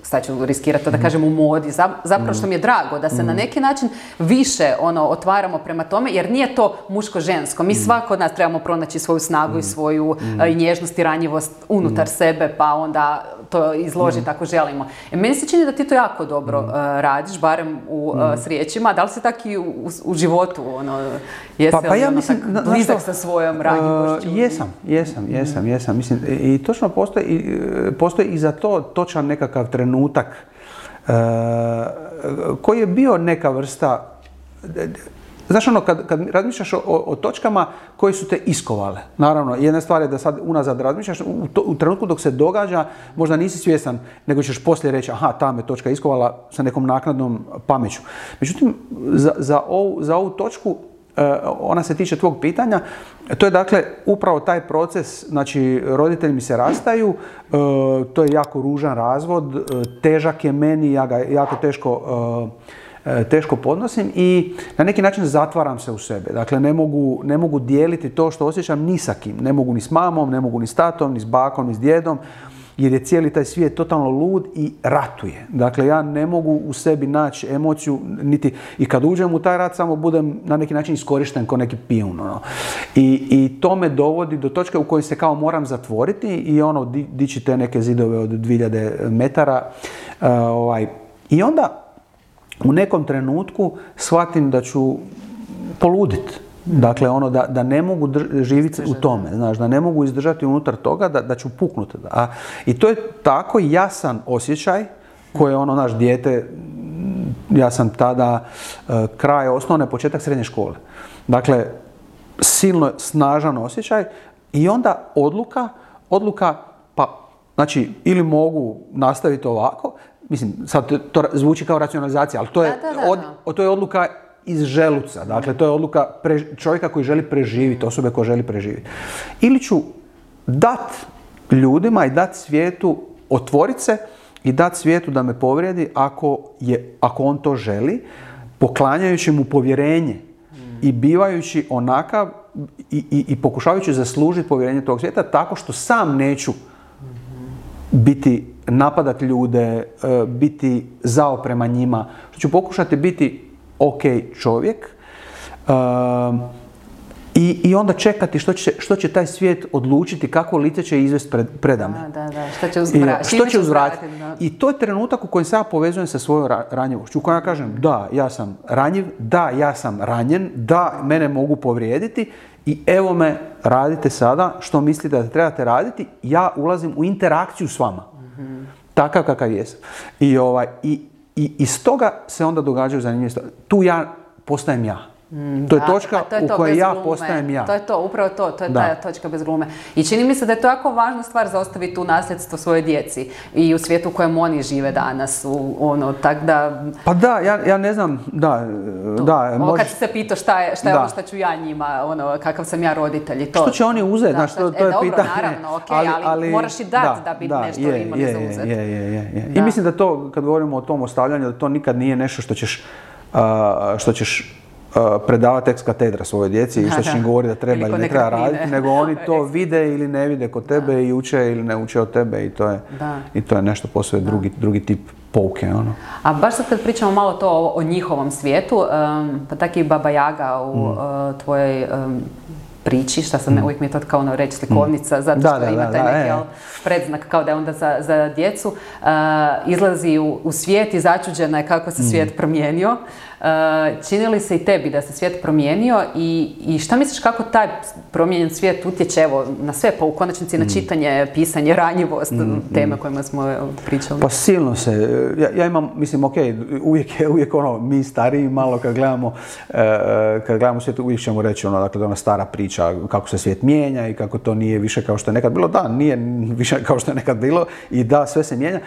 sad ću riskirati to da kažem u modi, zapravo što mi je drago da se na neki način više otvaramo prema tome, jer nije to muško-žensko. Mi svako od nas trebamo pronaći svoju snagu i svoju nježnost i ranjivost unutar sebe, pa onda to izložiti ako želimo. Meni se čini da ti to jako dobro radiš, barem s riječima. Da li si tako i u životu? Jesi li ja mislim, blizak sa svojom ranjivošću? Jesam. Mislim, i točno postoji i za to točan nekakav trenutak koji je bio neka vrsta, znaš kad razmišljaš o točkama koje su te iskovale. Naravno, jedna stvar je da sad unazad razmišljaš, u trenutku dok se događa, možda nisi svjestan, nego ćeš poslije reći, aha, ta me točka iskovala sa nekom naknadnom pameću. Međutim, za ovu točku, ona se tiče tvog pitanja, to je dakle upravo taj proces, znači roditelji mi se rastaju, to je jako ružan razvod, težak je meni, ja ga jako teško podnosim i na neki način zatvaram se u sebe. Dakle, ne mogu dijeliti to što osjećam ni sa kim. Ne mogu ni s mamom, ne mogu ni s tatom, ni s bakom, ni s djedom, jer je cijeli taj svijet totalno lud i ratuje. Dakle, ja ne mogu u sebi naći emociju, niti i kad uđem u taj rat, samo budem na neki način iskorišten kao neki pijun. I to me dovodi do točke u kojoj se kao moram zatvoriti i dići te neke zidove od 2000 metara. I onda u nekom trenutku shvatim da ću poluditi. Dakle, da ne mogu živjeti u tome, znaš, da ne mogu izdržati unutar toga, da ću puknuti. I to je tako jasan osjećaj koji je naš dijete, ja sam tada kraj osnovne, početak srednje škole. Dakle, silno snažan osjećaj i onda odluka, pa, znači, ili mogu nastaviti ovako, mislim, sad to zvuči kao racionalizacija, ali to je odluka iz želuca. Dakle, to je odluka čovjeka koji želi preživjeti, osobe koja želi preživjeti. Ili ću dat ljudima i dat svijetu, otvoriti se i dat svijetu da me povrijedi ako on to želi, poklanjajući mu povjerenje i bivajući onakav i pokušavajući zaslužiti povjerenje tog svijeta tako što sam neću napadati ljude, biti zao prema njima, što ću pokušati biti ok čovjek i onda čekati što će taj svijet odlučiti, kako lice će izvesti predame. Što će uzvratiti. I to je trenutak u kojem se ja povezujem sa svojom ranjivošću, u kojem ja kažem da, ja sam ranjiv, da, ja sam ranjen, da, mene mogu povrijediti i evo me, radite sada što mislite da trebate raditi, ja ulazim u interakciju s vama. Takav kakav jesam. I iz toga se onda događaju zanimljive stvari. Tu ja postajem ja. To je točka u kojoj ja postajem ja. To je to, upravo to je ta točka bez glume. I čini mi se da je to jako važna stvar za ostaviti u nasljedstvo svojoj djeci i u svijetu u kojem oni žive danas. Tak da... Pa da, ja ne znam, da. Kad se pitao šta je ono što ću ja njima, kakav sam ja roditelj i to. Što će oni uzeti, znaš, to je pitanje. Dobro, naravno, ali moraš i dati da bi nešto imali za uzeti. Je. I mislim da to, kad govorimo o tom ostavljanju, da to nikad nije nešto što ćeš predavati ex katedra svojoj djeci i što će im govoriti da treba ili ne treba raditi, nego oni to vide ili ne vide kod tebe i uče ili ne uče od tebe i to je nešto posve drugi tip pouke. A baš sad kad pričamo malo to o njihovom svijetu, pa tako i Baba Jaga u tvojoj priči, šta sam uvijek mi je to kao reći slikovnica, zato što ima taj neki predznak kao da je onda za djecu, izlazi u svijet i začuđena je kako se svijet promijenio. Čini li se i tebi da se svijet promijenio i šta misliš kako taj promijenjen svijet utječe na sve, pa u konačnici na čitanje, pisanje, ranjivost, teme kojima smo pričali? Pa silno se. Ja imam, mislim, uvijek mi stariji malo kad gledamo svijet, uvijek ćemo reći dakle, da ona stara priča kako se svijet mijenja i kako to nije više kao što je nekad bilo. Da, nije više kao što je nekad bilo i da, sve se mijenja.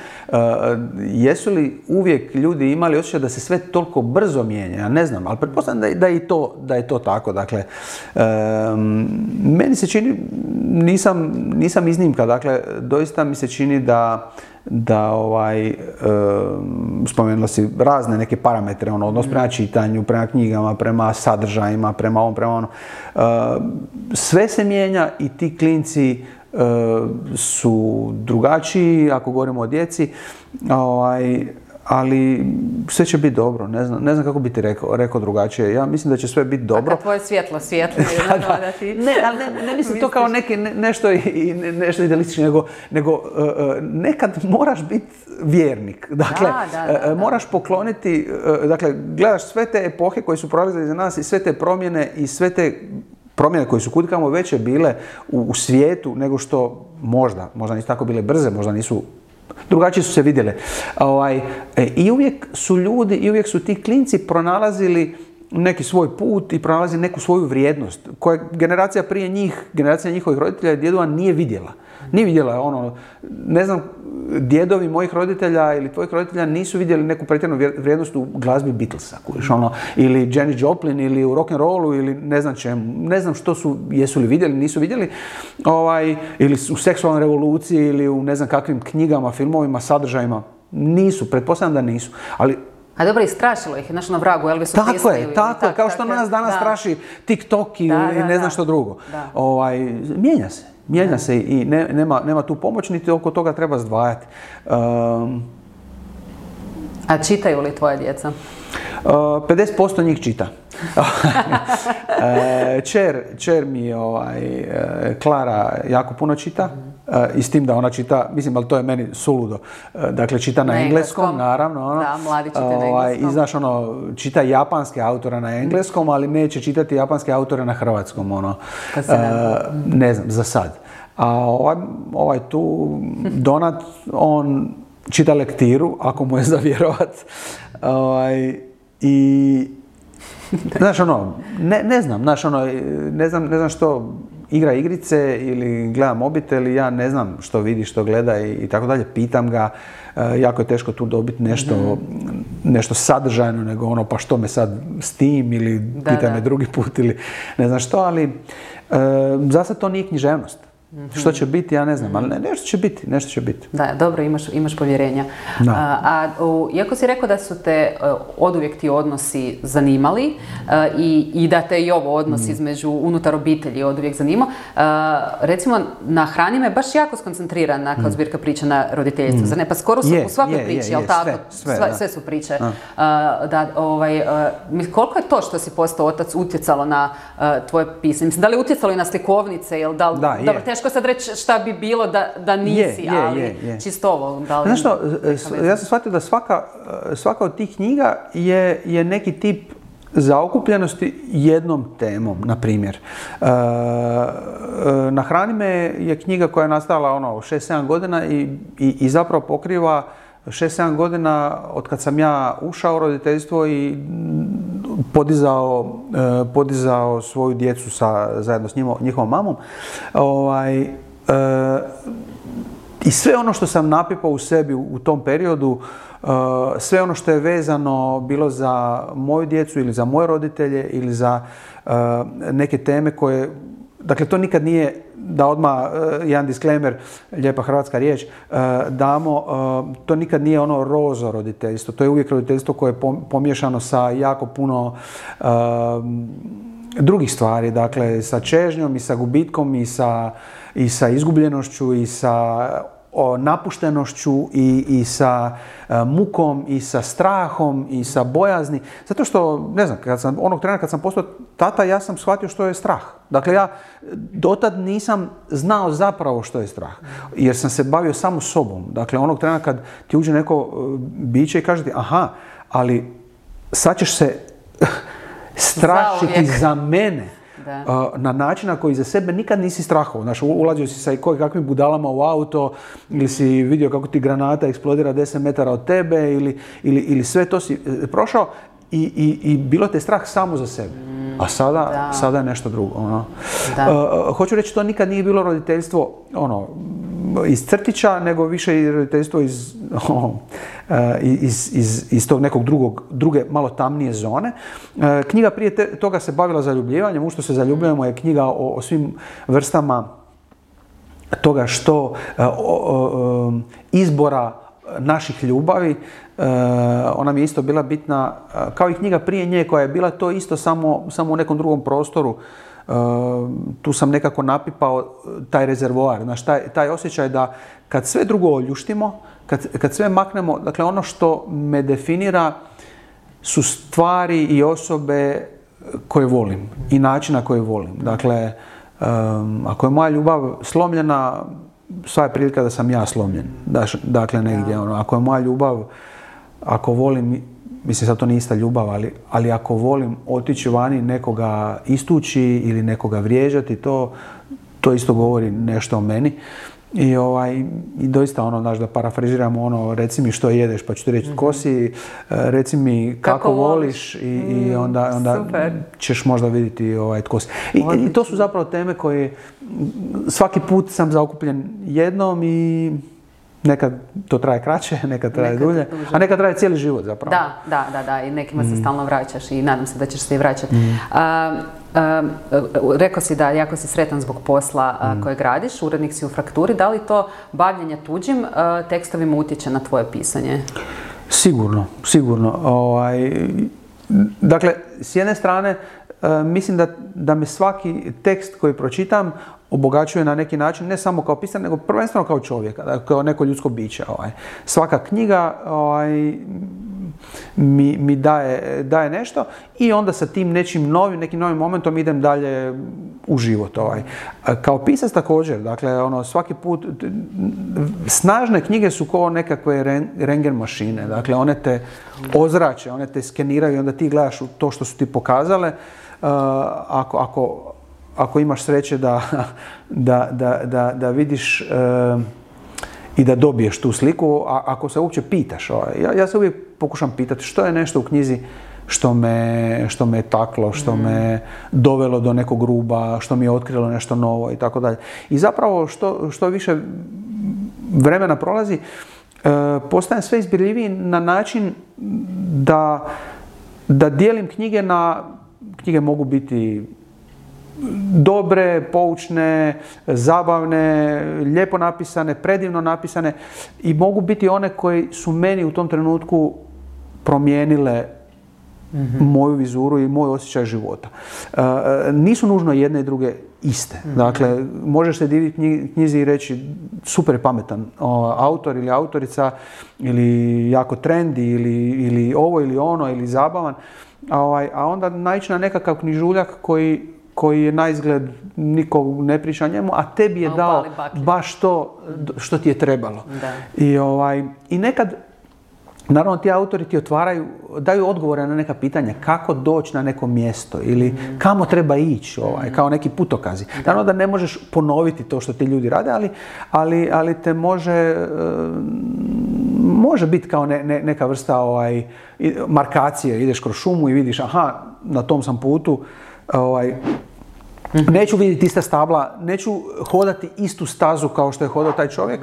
Jesu li uvijek ljudi imali osjećaj da se sve toliko brzo mijenja? Ja ne znam, ali pretpostavljam da je to tako. Dakle, meni se čini, nisam iznimka, dakle, doista mi se čini da spomenula si razne neke parametre, odnos prema čitanju, prema knjigama, prema sadržajima, prema ovom, prema ono. Sve se mijenja i ti klinci su drugačiji, ako govorimo o djeci, ali sve će biti dobro. Ne znam kako bi ti rekao drugačije. Ja mislim da će sve biti dobro. A kad tvoje svjetlo da ti... Ne mislim to kao nešto idealistično, nego nekad moraš biti vjernik. Dakle, moraš pokloniti, dakle, gledaš sve te epohe koje su prolazile iza nas i sve te promjene i sve te promjene koje su kudikamo veće bile u svijetu nego što možda nisu tako bile brze, možda nisu, drugačije su se vidjele. I uvijek su ljudi, i uvijek su ti klinci pronalazili neki svoj put i pronalazili neku svoju vrijednost koja generacija prije njih, generacija njihovih roditelja i djedova nije vidjela. Nije vidjela ne znam, djedovi mojih roditelja ili tvojih roditelja nisu vidjeli neku pretjeranu vrijednost u glazbi Beatlesa, ili Janis Joplin ili u rock'n'rollu ili ne znam čemu. Ne znam što su, jesu li vidjeli, nisu vidjeli, ili u seksualnoj revoluciji ili u ne znam kakvim knjigama, filmovima, sadržajima. Nisu, pretpostavljam da nisu. Ali a dobro, i strašilo ih, na vragu Elvisu Presley. Tako je, kao što nas danas straši TikTok i ne znam što drugo. Mijenja se i nema tu pomoć, niti oko toga treba zdvajati. A čitaju li tvoje djeca? 50% njih čita. Čer mi Klara jako puno čita i s tim da ona čita, mislim, ali to je meni suludo. Dakle, čita na engleskom, naravno. Da, mladi čita na engleskom. I znaš, čita japanske autore na engleskom, ali neće čitati japanske autore na hrvatskom. Ne znam, za sad. A ovaj tu, Donat, on čita lektiru, ako mu je za vjerovat. I znaš, ne znam što igra igrice ili gleda mobitel i ja ne znam što vidi, što gleda i tako dalje. Pitam ga, jako je teško tu dobiti nešto sadržajno, nego pa što me sad s tim ili pitaj me drugi put ili ne znam što, ali za sad to nije književnost. Što će biti, ja ne znam, ali nešto će biti. Da, dobro, imaš povjerenja. Iako si rekao da su te oduvijek ti odnosi zanimali i da te i ovo odnos između unutar obitelji oduvijek zanimao, recimo na hrani me baš jako skoncentrirana kao zbirka priča na roditeljicu, zar ne? Pa skoro u svakoj priči, jel tako? Sve su priče. Koliko je to što si postao otac utjecalo na tvoje pisanje? Mislim, da li je utjecalo i na slikovnice? Dobro, teško sad reći šta bi bilo da nisi, ali čisto ovo. Znaš što, ja sam shvatio da svaka od tih knjiga je neki tip zaokupljenosti jednom temom, na primjer. Na hrani me je knjiga koja je nastala 6-7 godina i zapravo pokriva 6-7 godina od kad sam ja ušao u roditeljstvo i podizao svoju djecu zajedno s njihovom mamom. I sve ono što sam napipao u sebi u tom periodu, sve ono što je vezano bilo za moju djecu ili za moje roditelje ili za neke teme koje, dakle to nikad nije, da odmah jedan disclaimer, lijepa hrvatska riječ, damo, to nikad nije ono rozo roditeljstvo, to je uvijek roditeljstvo koje je pomiješano sa jako puno drugih stvari, dakle sa čežnjom i sa gubitkom i sa izgubljenošću i sa napuštenošću i sa mukom i sa strahom i sa bojazni. Zato što, ne znam, onog trena kad sam postao tata, ja sam shvatio što je strah. Dakle, ja dotad nisam znao zapravo što je strah, jer sam se bavio samo sobom. Dakle, onog trena kad ti uđe neko biće i kaže ti, aha, ali sad ćeš se strašiti za mene. Na način na koji za sebe nikad nisi strahao. Znaš, ulazio si sa kakvim budalama u auto ili si vidio kako ti granata eksplodira 10 metara od tebe ili sve to si prošao i bilo te strah samo za sebe. A sada je nešto drugo. Hoću reći, to nikad nije bilo roditeljstvo iz crtića, nego više i roditeljstvo iz tog nekog druge malo tamnije zone. Knjiga prije toga se bavila zaljubljivanjem. U što se zaljubljujemo je knjiga o svim vrstama toga što izbora naših ljubavi. Ona mi je isto bila bitna, kao i knjiga prije nje koja je bila to isto samo u nekom drugom prostoru. Tu sam nekako napipao taj rezervoar, znaš, taj osjećaj da kad sve drugo oljuštimo, kad sve maknemo, dakle ono što me definira su stvari i osobe koje volim i način na koji volim. Dakle, ako je moja ljubav slomljena, sva je prilika da sam ja slomljen. Dakle, negdje, ako je moja ljubav, ako volim, mislim sad to nije ista ljubav, ali ako volim otići vani nekoga istući ili nekoga vrijeđati, to isto govori nešto o meni. I doista znaš, da parafraziramo reci mi što jedeš, pa ću ti reći tko si, reci mi kako voliš i onda ćeš možda vidjeti tko si. I to su zapravo teme koje svaki put sam zaokupljen jednom i nekad to traje kraće, nekad traje dulje, a nekad traje cijeli život zapravo. Da, i nekima se stalno vraćaš i nadam se da ćeš se i vraćati. Rekao si da jako si sretan zbog posla kojeg radiš, urednik si u Frakturi. Da li to bavljenje tuđim tekstovima utječe na tvoje pisanje? Sigurno. Dakle, s jedne strane, mislim da me svaki tekst koji pročitam obogaćuje na neki način, ne samo kao pisar, nego prvenstveno kao čovjeka, kao neko ljudsko biće. Svaka knjiga mi daje nešto i onda sa tim nekim novim momentom idem dalje u život. Kao pisac također, dakle, svaki put, snažne knjige su kao nekakve rentgen mašine, dakle, one te ozrače, one te skeniraju i onda ti gledaš to što su ti pokazale. Ako imaš sreće da vidiš i da dobiješ tu sliku, ako se uopće pitaš. Ja se uvijek pokušam pitati što je nešto u knjizi što me taklo, što me dovelo do nekog ruba, što mi je otkrilo nešto novo i tako dalje. I zapravo što više vremena prolazi, postajem sve izbirljiviji na način da dijelim knjige knjige mogu biti dobre, poučne, zabavne, lijepo napisane, predivno napisane i mogu biti one koji su meni u tom trenutku promijenile moju vizuru i moj osjećaj života. Nisu nužno jedne i druge iste. Dakle, možeš se diviti knjizi i reći super pametan autor ili autorica ili jako trendi ili ovo ili ono ili zabavan, a onda naići na nekakav knjižuljak koji je na izgled niko ne priča njemu, a tebi je dao baš to što ti je trebalo. I nekad, naravno, ti autori ti daju odgovore na neka pitanja, kako doći na neko mjesto ili kamo treba ići, kao neki putokazi. Naravno da ne možeš ponoviti to što ti ljudi rade, ali te može biti kao neka vrsta markacije, ideš kroz šumu i vidiš, aha, na tom sam putu, neću vidjeti ista stabla, neću hodati istu stazu kao što je hodao taj čovjek,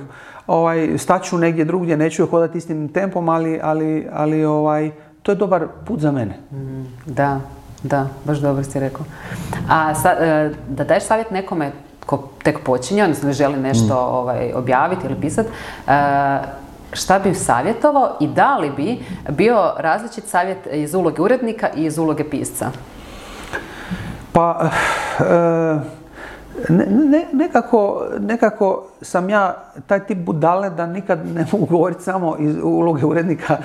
staću negdje drugdje, neću hodati istim tempom, ali to je dobar put za mene. Da, baš dobro si rekao. A da daješ savjet nekome ko tek počinje, odnosno želi nešto objaviti ili pisati, šta bi savjetovao i da li bi bio različit savjet iz uloge urednika i iz uloge pisca? Pa, nekako sam ja taj tip budale da nikad ne mogu govoriti samo iz uloge urednika.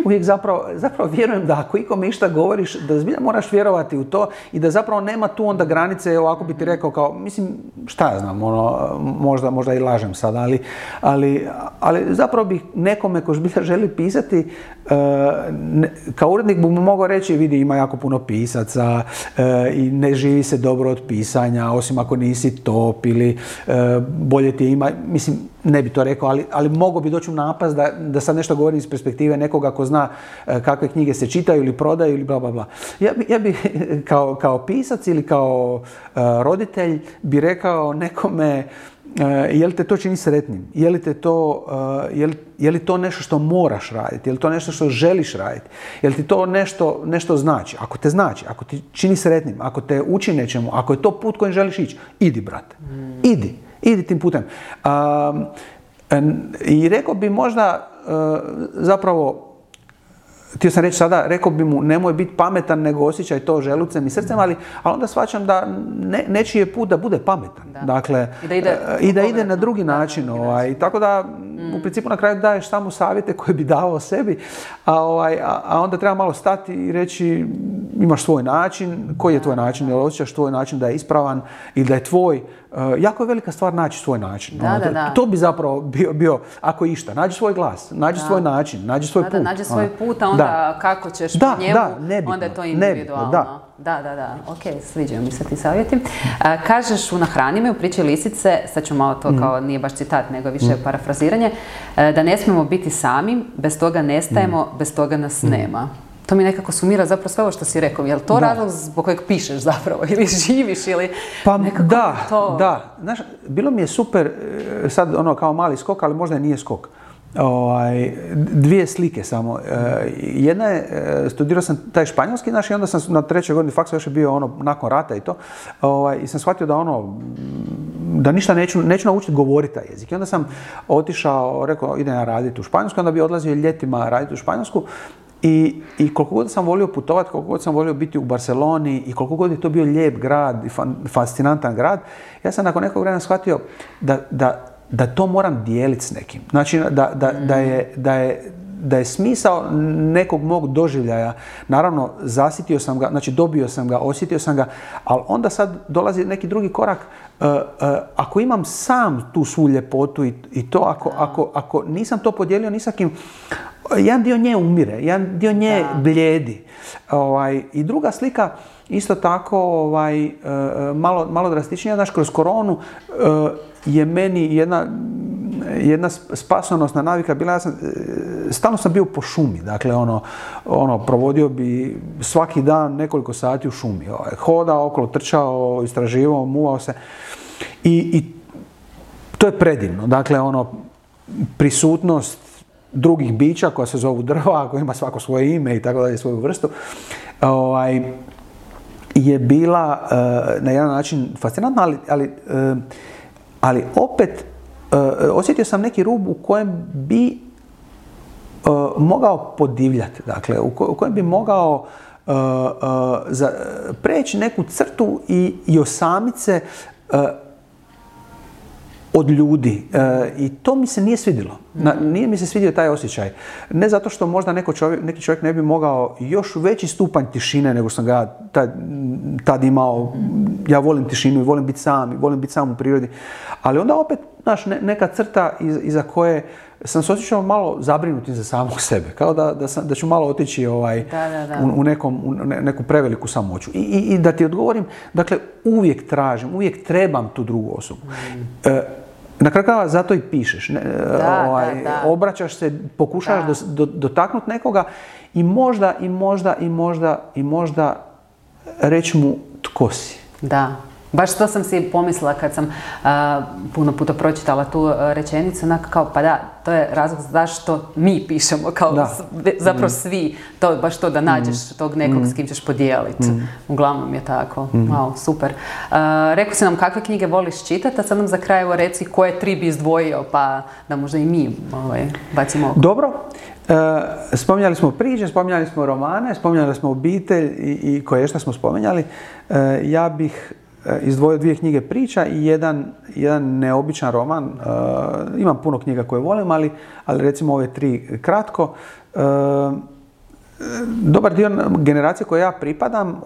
Uvijek zapravo vjerujem da ako ikome išta govoriš, da zbilja moraš vjerovati u to i da zapravo nema tu onda granice, ovako bi ti rekao kao, mislim, šta ja znam, možda i lažem sad, ali zapravo bih nekome ko zbilja želi pisati, kao urednik bi mu mogao reći, vidi, ima jako puno pisaca i ne živi se dobro od pisanja, osim ako nisi top ili bolje ti ima, mislim, ne bi to rekao, ali mogao bi doći u napast da sad nešto govorim iz perspektive nekoga ko zna kakve knjige se čitaju ili prodaju ili bla bla bla. Ja bi kao pisac ili kao roditelj bi rekao nekome, je li te to čini sretnim? Je li to nešto što moraš raditi? Je li to nešto što želiš raditi? Je li ti to nešto znači? Ako te znači, ako ti čini sretnim, ako te uči nečemu, ako je to put kojim želiš ići, idi, brate. Idi tim putem. I rekao bi možda, zapravo, htio sam reći sada, rekao bi mu nemoj biti pametan nego osjećaj to želucem i srcem, ali onda shvaćam da nečiji je put da bude pametan. Dakle, i da ide na drugi način. Tako da u principu na kraju daješ samo savjete koje bi davao sebi, a onda treba malo stati i reći imaš svoj način, koji je tvoj način, jel osjećaš tvoj način da je ispravan ili da je tvoj. Jako je velika stvar naći svoj način. To bi zapravo bio, ako išta, nađi svoj glas, nađi svoj način, nađi svoj put. Nađi svoj put, a onda kako ćeš po njemu, onda je to individualno. Ok, sviđaju mi se ti savjeti. Kažeš u Nahrani me, u priči Lisice, sad ću malo to kao, nije baš citat, nego više parafraziranje, da ne smijemo biti sami, bez toga nestajemo, bez toga nas nema. To mi nekako sumira zapravo sve ovo što si rekao. Je li to razlog zbog kojeg pišeš zapravo? Ili živiš? Ili pa da. Znaš, bilo mi je super, sad kao mali skok, ali možda i nije skok. Dvije slike samo. Jedna je, studirao sam taj španjolski, i onda sam na 3. godini faksa, još je bio nakon rata i to, i sam shvatio da ništa neću naučiti govoriti taj jezik. I onda sam otišao, rekao, idem ja raditi u Španjolsku, onda bi odlazio ljetima raditi u Španjolsku. I koliko god sam volio putovati, koliko god sam volio biti u Barceloni i koliko god je to bio lijep grad i fascinantan grad, ja sam nakon nekog vremena shvatio da to moram dijeliti s nekim. Znači da je smisao nekog mog doživljaja, naravno zasitio sam ga, znači dobio sam ga, osjetio sam ga, ali onda sad dolazi neki drugi korak. Ako imam sam tu svu ljepotu i to, ako nisam to podijelio ni sa kim, jedan dio nje umire, jedan dio nje bljedi. I druga slika, isto tako, malo drastičnija, znaš, kroz koronu je meni jedna spasonosna navika bila, stalno sam bio po šumi, dakle, provodio bi svaki dan nekoliko sati u šumi, hodao okolo, trčao, istraživao, muvao se i to je predivno, dakle, prisutnost drugih bića koja se zovu drva, koja ima svako svoje ime i tako dalje, svoju vrstu, je bila na jedan način fascinantna, ali opet osjetio sam neki rub u kojem bi mogao podivljati, dakle, u kojem bi mogao preći neku crtu i osamiti se od ljudi. I to mi se nije svidjelo. Nije mi se svidio taj osjećaj. Ne zato što možda neki čovjek ne bi mogao još veći stupanj tišine nego sam ga tad imao. Ja volim tišinu i volim biti sam u prirodi. Ali onda opet, znaš, neka crta iza koje sam se osjećao malo zabrinutim za samog sebe. Kao da ću malo otići u neku preveliku samoću. I da ti odgovorim, dakle, uvijek tražim, uvijek trebam tu drugu osobu. na kraju krajeva zato i pišeš. Da. Obraćaš se, pokušavaš dotaknuti nekoga i možda reći mu tko si. Da. Baš to sam si pomislila kad sam puno puta pročitala tu rečenicu, onako kao pa da, to je razlog zašto mi pišemo, kao zapravo svi, baš to da nađeš tog nekog s kim ćeš podijeliti. Uglavnom je tako. Wow, super. Rekao si nam kakve knjige voliš čitati, a sad nam za kraj evo reci koje 3 bi izdvojio, pa da možda i mi bacimo oko. Dobro. Spominjali smo priče, spominjali smo romane, spominjali smo obitelj i koje što smo spominjali. Ja bih izdvojio 2 knjige priča i jedan neobičan roman. Imam puno knjiga koje volim, ali recimo ove 3 kratko. Dobar dio generacije koje ja pripadam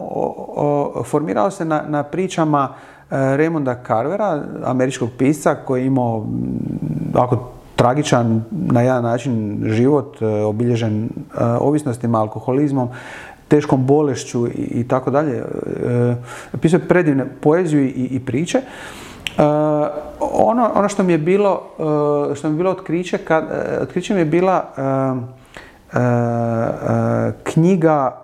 formirao se na pričama Raymonda Carvera, američkog pisca koji je imao tragičan na jedan način život, obilježen ovisnostima, alkoholizmom, teškom bolešću i tako dalje. Pisao je predivne poeziju i priče. Ono što mi je bilo otkriće mi je bila knjiga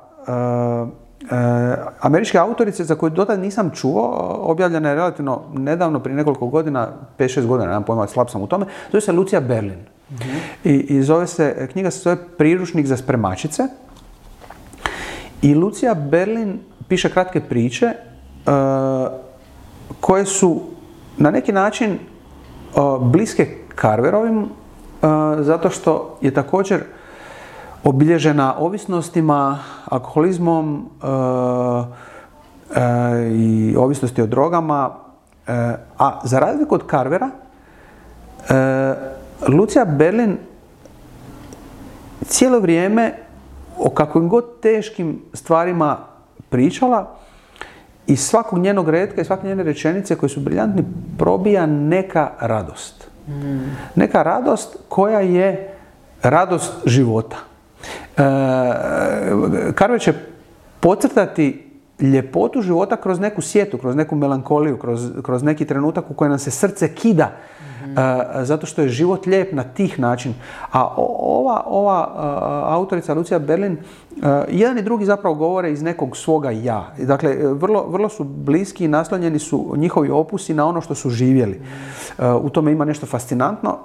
američke autorice za koju dotad nisam čuo, objavljena je relativno nedavno, prije nekoliko godina, 5-6 godina, nemam pojma, slab sam u tome. Zove se Lucija Berlin. I knjiga se zove Priručnik za spremačice. I Lucija Berlin piše kratke priče koje su na neki način bliske Carverovim, zato što je također obilježena ovisnostima, alkoholizmom i ovisnosti o drogama. A za razliku od Carvera, Lucija Berlin cijelo vrijeme o kakvim god teškim stvarima pričala, iz svakog njenog retka i svake njene rečenice koje su briljantni probija neka radost. Neka radost koja je radost života. Carver će podcrtati ljepotu života kroz neku sjetu, kroz neku melankoliju, kroz neki trenutak u kojem nam se srce kida, zato što je život lijep na tih način. A ova autorica Lucija Berlin, jedan i drugi zapravo govore iz nekog svoga ja. Dakle, vrlo su bliski i naslonjeni su njihovi opusi na ono što su živjeli. U tome ima nešto fascinantno.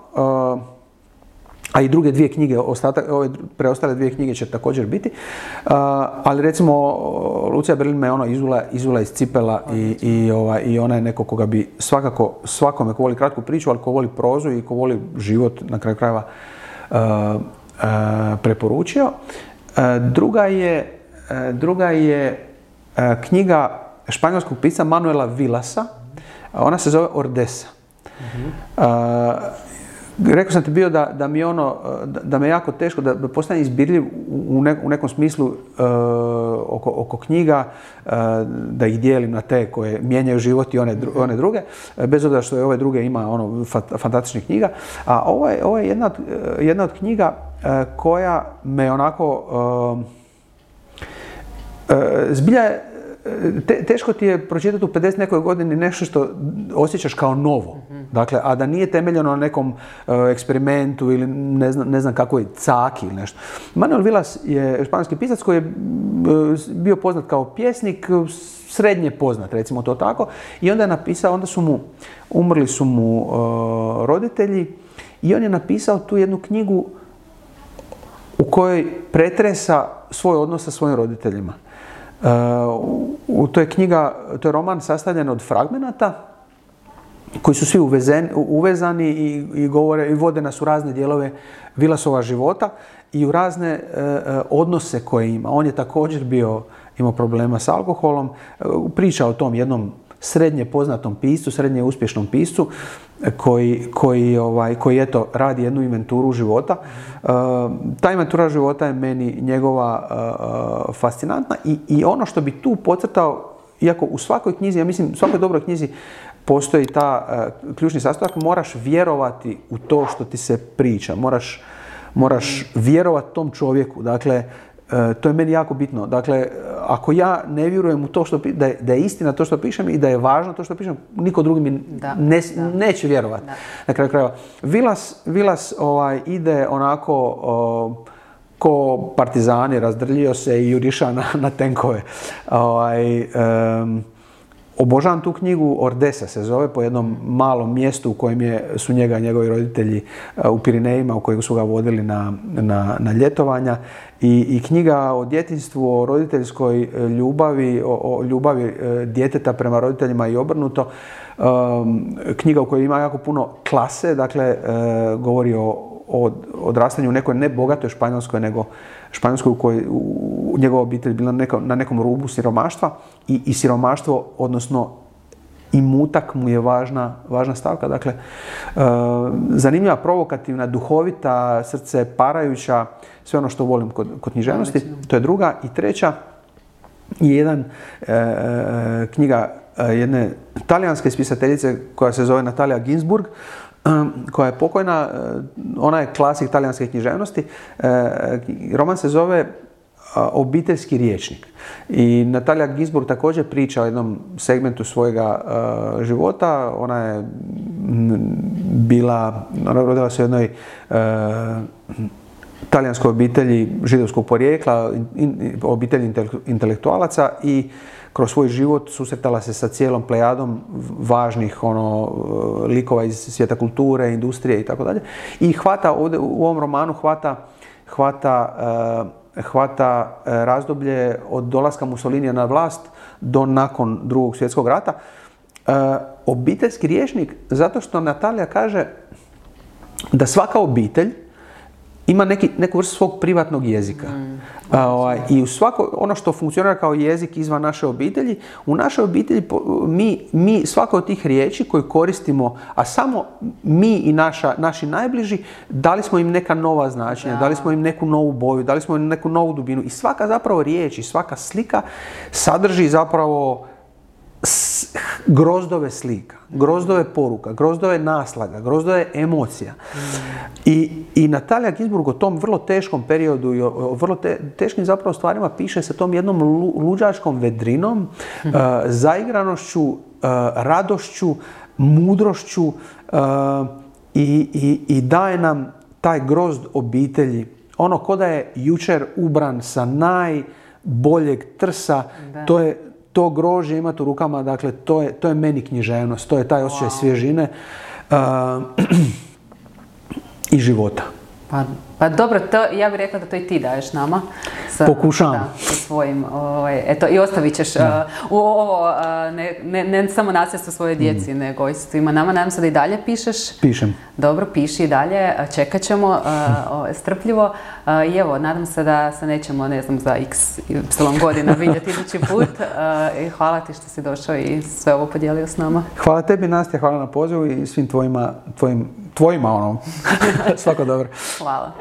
A i druge 2 knjige, ove preostale 2 knjige će također biti. Ali recimo, Lucija Berlin me izula iz cipela i ona je neko koga bi svakako svakome ko voli kratku priču, ali ko voli prozu i ko voli život na kraju krajeva preporučio. Druga je knjiga španjolskog pisca Manuela Villasa. Ona se zove Ordesa. Rekao sam ti bio da mi je da me jako teško da postane izbirljiv u nekom smislu oko knjiga, da ih dijelim na te koje mijenjaju život i one druge, bez obzira što je ove druge ima fantastičnih knjiga. A ovo je jedna od knjiga koja me onako zbilja teško ti je pročitati u 50 nekoj godini nešto što osjećaš kao novo. Dakle, a da nije temeljeno na nekom eksperimentu ili ne znam kakvoj caki ili nešto. Manuel Villas je španjolski pisac koji je bio poznat kao pjesnik, srednje poznat, recimo to tako. I onda je napisao, umrli su mu roditelji i on je napisao tu jednu knjigu u kojoj pretresa svoj odnos sa svojim roditeljima. To je roman sastavljen od fragmenata koji su svi uvezani i govore i vode nas u razne dijelove Villasova života i u razne odnose koje ima. On je također imao problema s alkoholom, priča o tom jednom srednje poznatom piscu, srednje uspješnom piscu koji eto radi jednu inventuru života. Ta inventura života je meni njegova fascinantna i ono što bi tu podcrtao, iako u svakoj knjizi, ja mislim u svakoj dobroj knjizi postoji ta ključni sastojak, moraš vjerovati u to što ti se priča, moraš vjerovati tom čovjeku. Dakle, to je meni jako bitno. Dakle, ako ja ne vjerujem u to da je istina to što pišem i da je važno to što pišem, niko drugi mi neće vjerovati. Na kraju krajeva. Vilas ide onako ko partizani, razdrljio se i juriša na tenkove. Obožavam tu knjigu, Ordesa se zove, po jednom malom mjestu u kojem su njega i njegovi roditelji u Pirinejima, u kojeg su ga vodili na ljetovanja. I knjiga o djetinjstvu, o roditeljskoj ljubavi, o ljubavi djeteta prema roditeljima i obrnuto. Knjiga u kojoj ima jako puno klase, dakle govori o odrastanju u nekoj ne bogatoj Španjolskoj, nego Španjolskoj u kojoj njegova obitelj bila na nekom rubu siromaštva i siromaštvo, odnosno imutak mu je važna stavka. Dakle, zanimljiva, provokativna, duhovita, srce parajuća, sve ono što volim kod književnosti. To je druga. I treća je knjiga jedne talijanske spisateljice koja se zove Natalia Ginzburg, koja je pokojna. Ona je klasik talijanske književnosti. Roman se zove Obiteljski rječnik. I Natalia Ginzburg također priča o jednom segmentu svojega života. Ona je rodila se u jednoj talijanskoj obitelji židovskog porijekla, obitelji intelektualaca, i kroz svoj život susretala se sa cijelom plejadom važnih likova iz svijeta kulture, industrije i tako dalje. I hvata ovdje u ovom romanu hvata razdoblje od dolaska Mussolinija na vlast do nakon Drugog svjetskog rata. Obiteljski rječnik, zato što Natalija kaže da svaka obitelj ima neku vrstu svog privatnog jezika. I u ono što funkcionira kao jezik izvan naše obitelji, u našoj obitelji mi svako od tih riječi koje koristimo, a samo mi i naši najbliži, dali smo im neka nova značenja, dali smo im neku novu boju, dali smo im neku novu dubinu. I svaka zapravo riječ i svaka slika sadrži zapravo grozdove slika, grozdove poruka, grozdove naslaga, grozdove emocija. I Natalia Ginzburg o tom vrlo teškom periodu i o vrlo teškim zapravo stvarima piše sa tom jednom luđačkom vedrinom, zaigranošću, radošću, mudrošću, i daje nam taj grozd obitelji. Ono ko da je jučer ubran sa najboljeg trsa, to grožđe imati u rukama, dakle, to je meni književnost, to je taj osjećaj svježine i života. Pa dobro, ja bih rekla da to i ti daješ nama. Pokušavam. Sa svojim, eto, i ostavit ćeš u ovo, ne samo nasljedstvo svoje djeci, nego i svima nama. Nadam se da i dalje pišeš. Pišem. Dobro, piši i dalje, čekat ćemo strpljivo. I evo, nadam se da se nećemo, ne znam, za y godina vidjeti idući put. I hvala ti što si došao i sve ovo podijelio s nama. Hvala tebi, Nastja, hvala na pozivu i svim tvojima svako dobro. Hvala.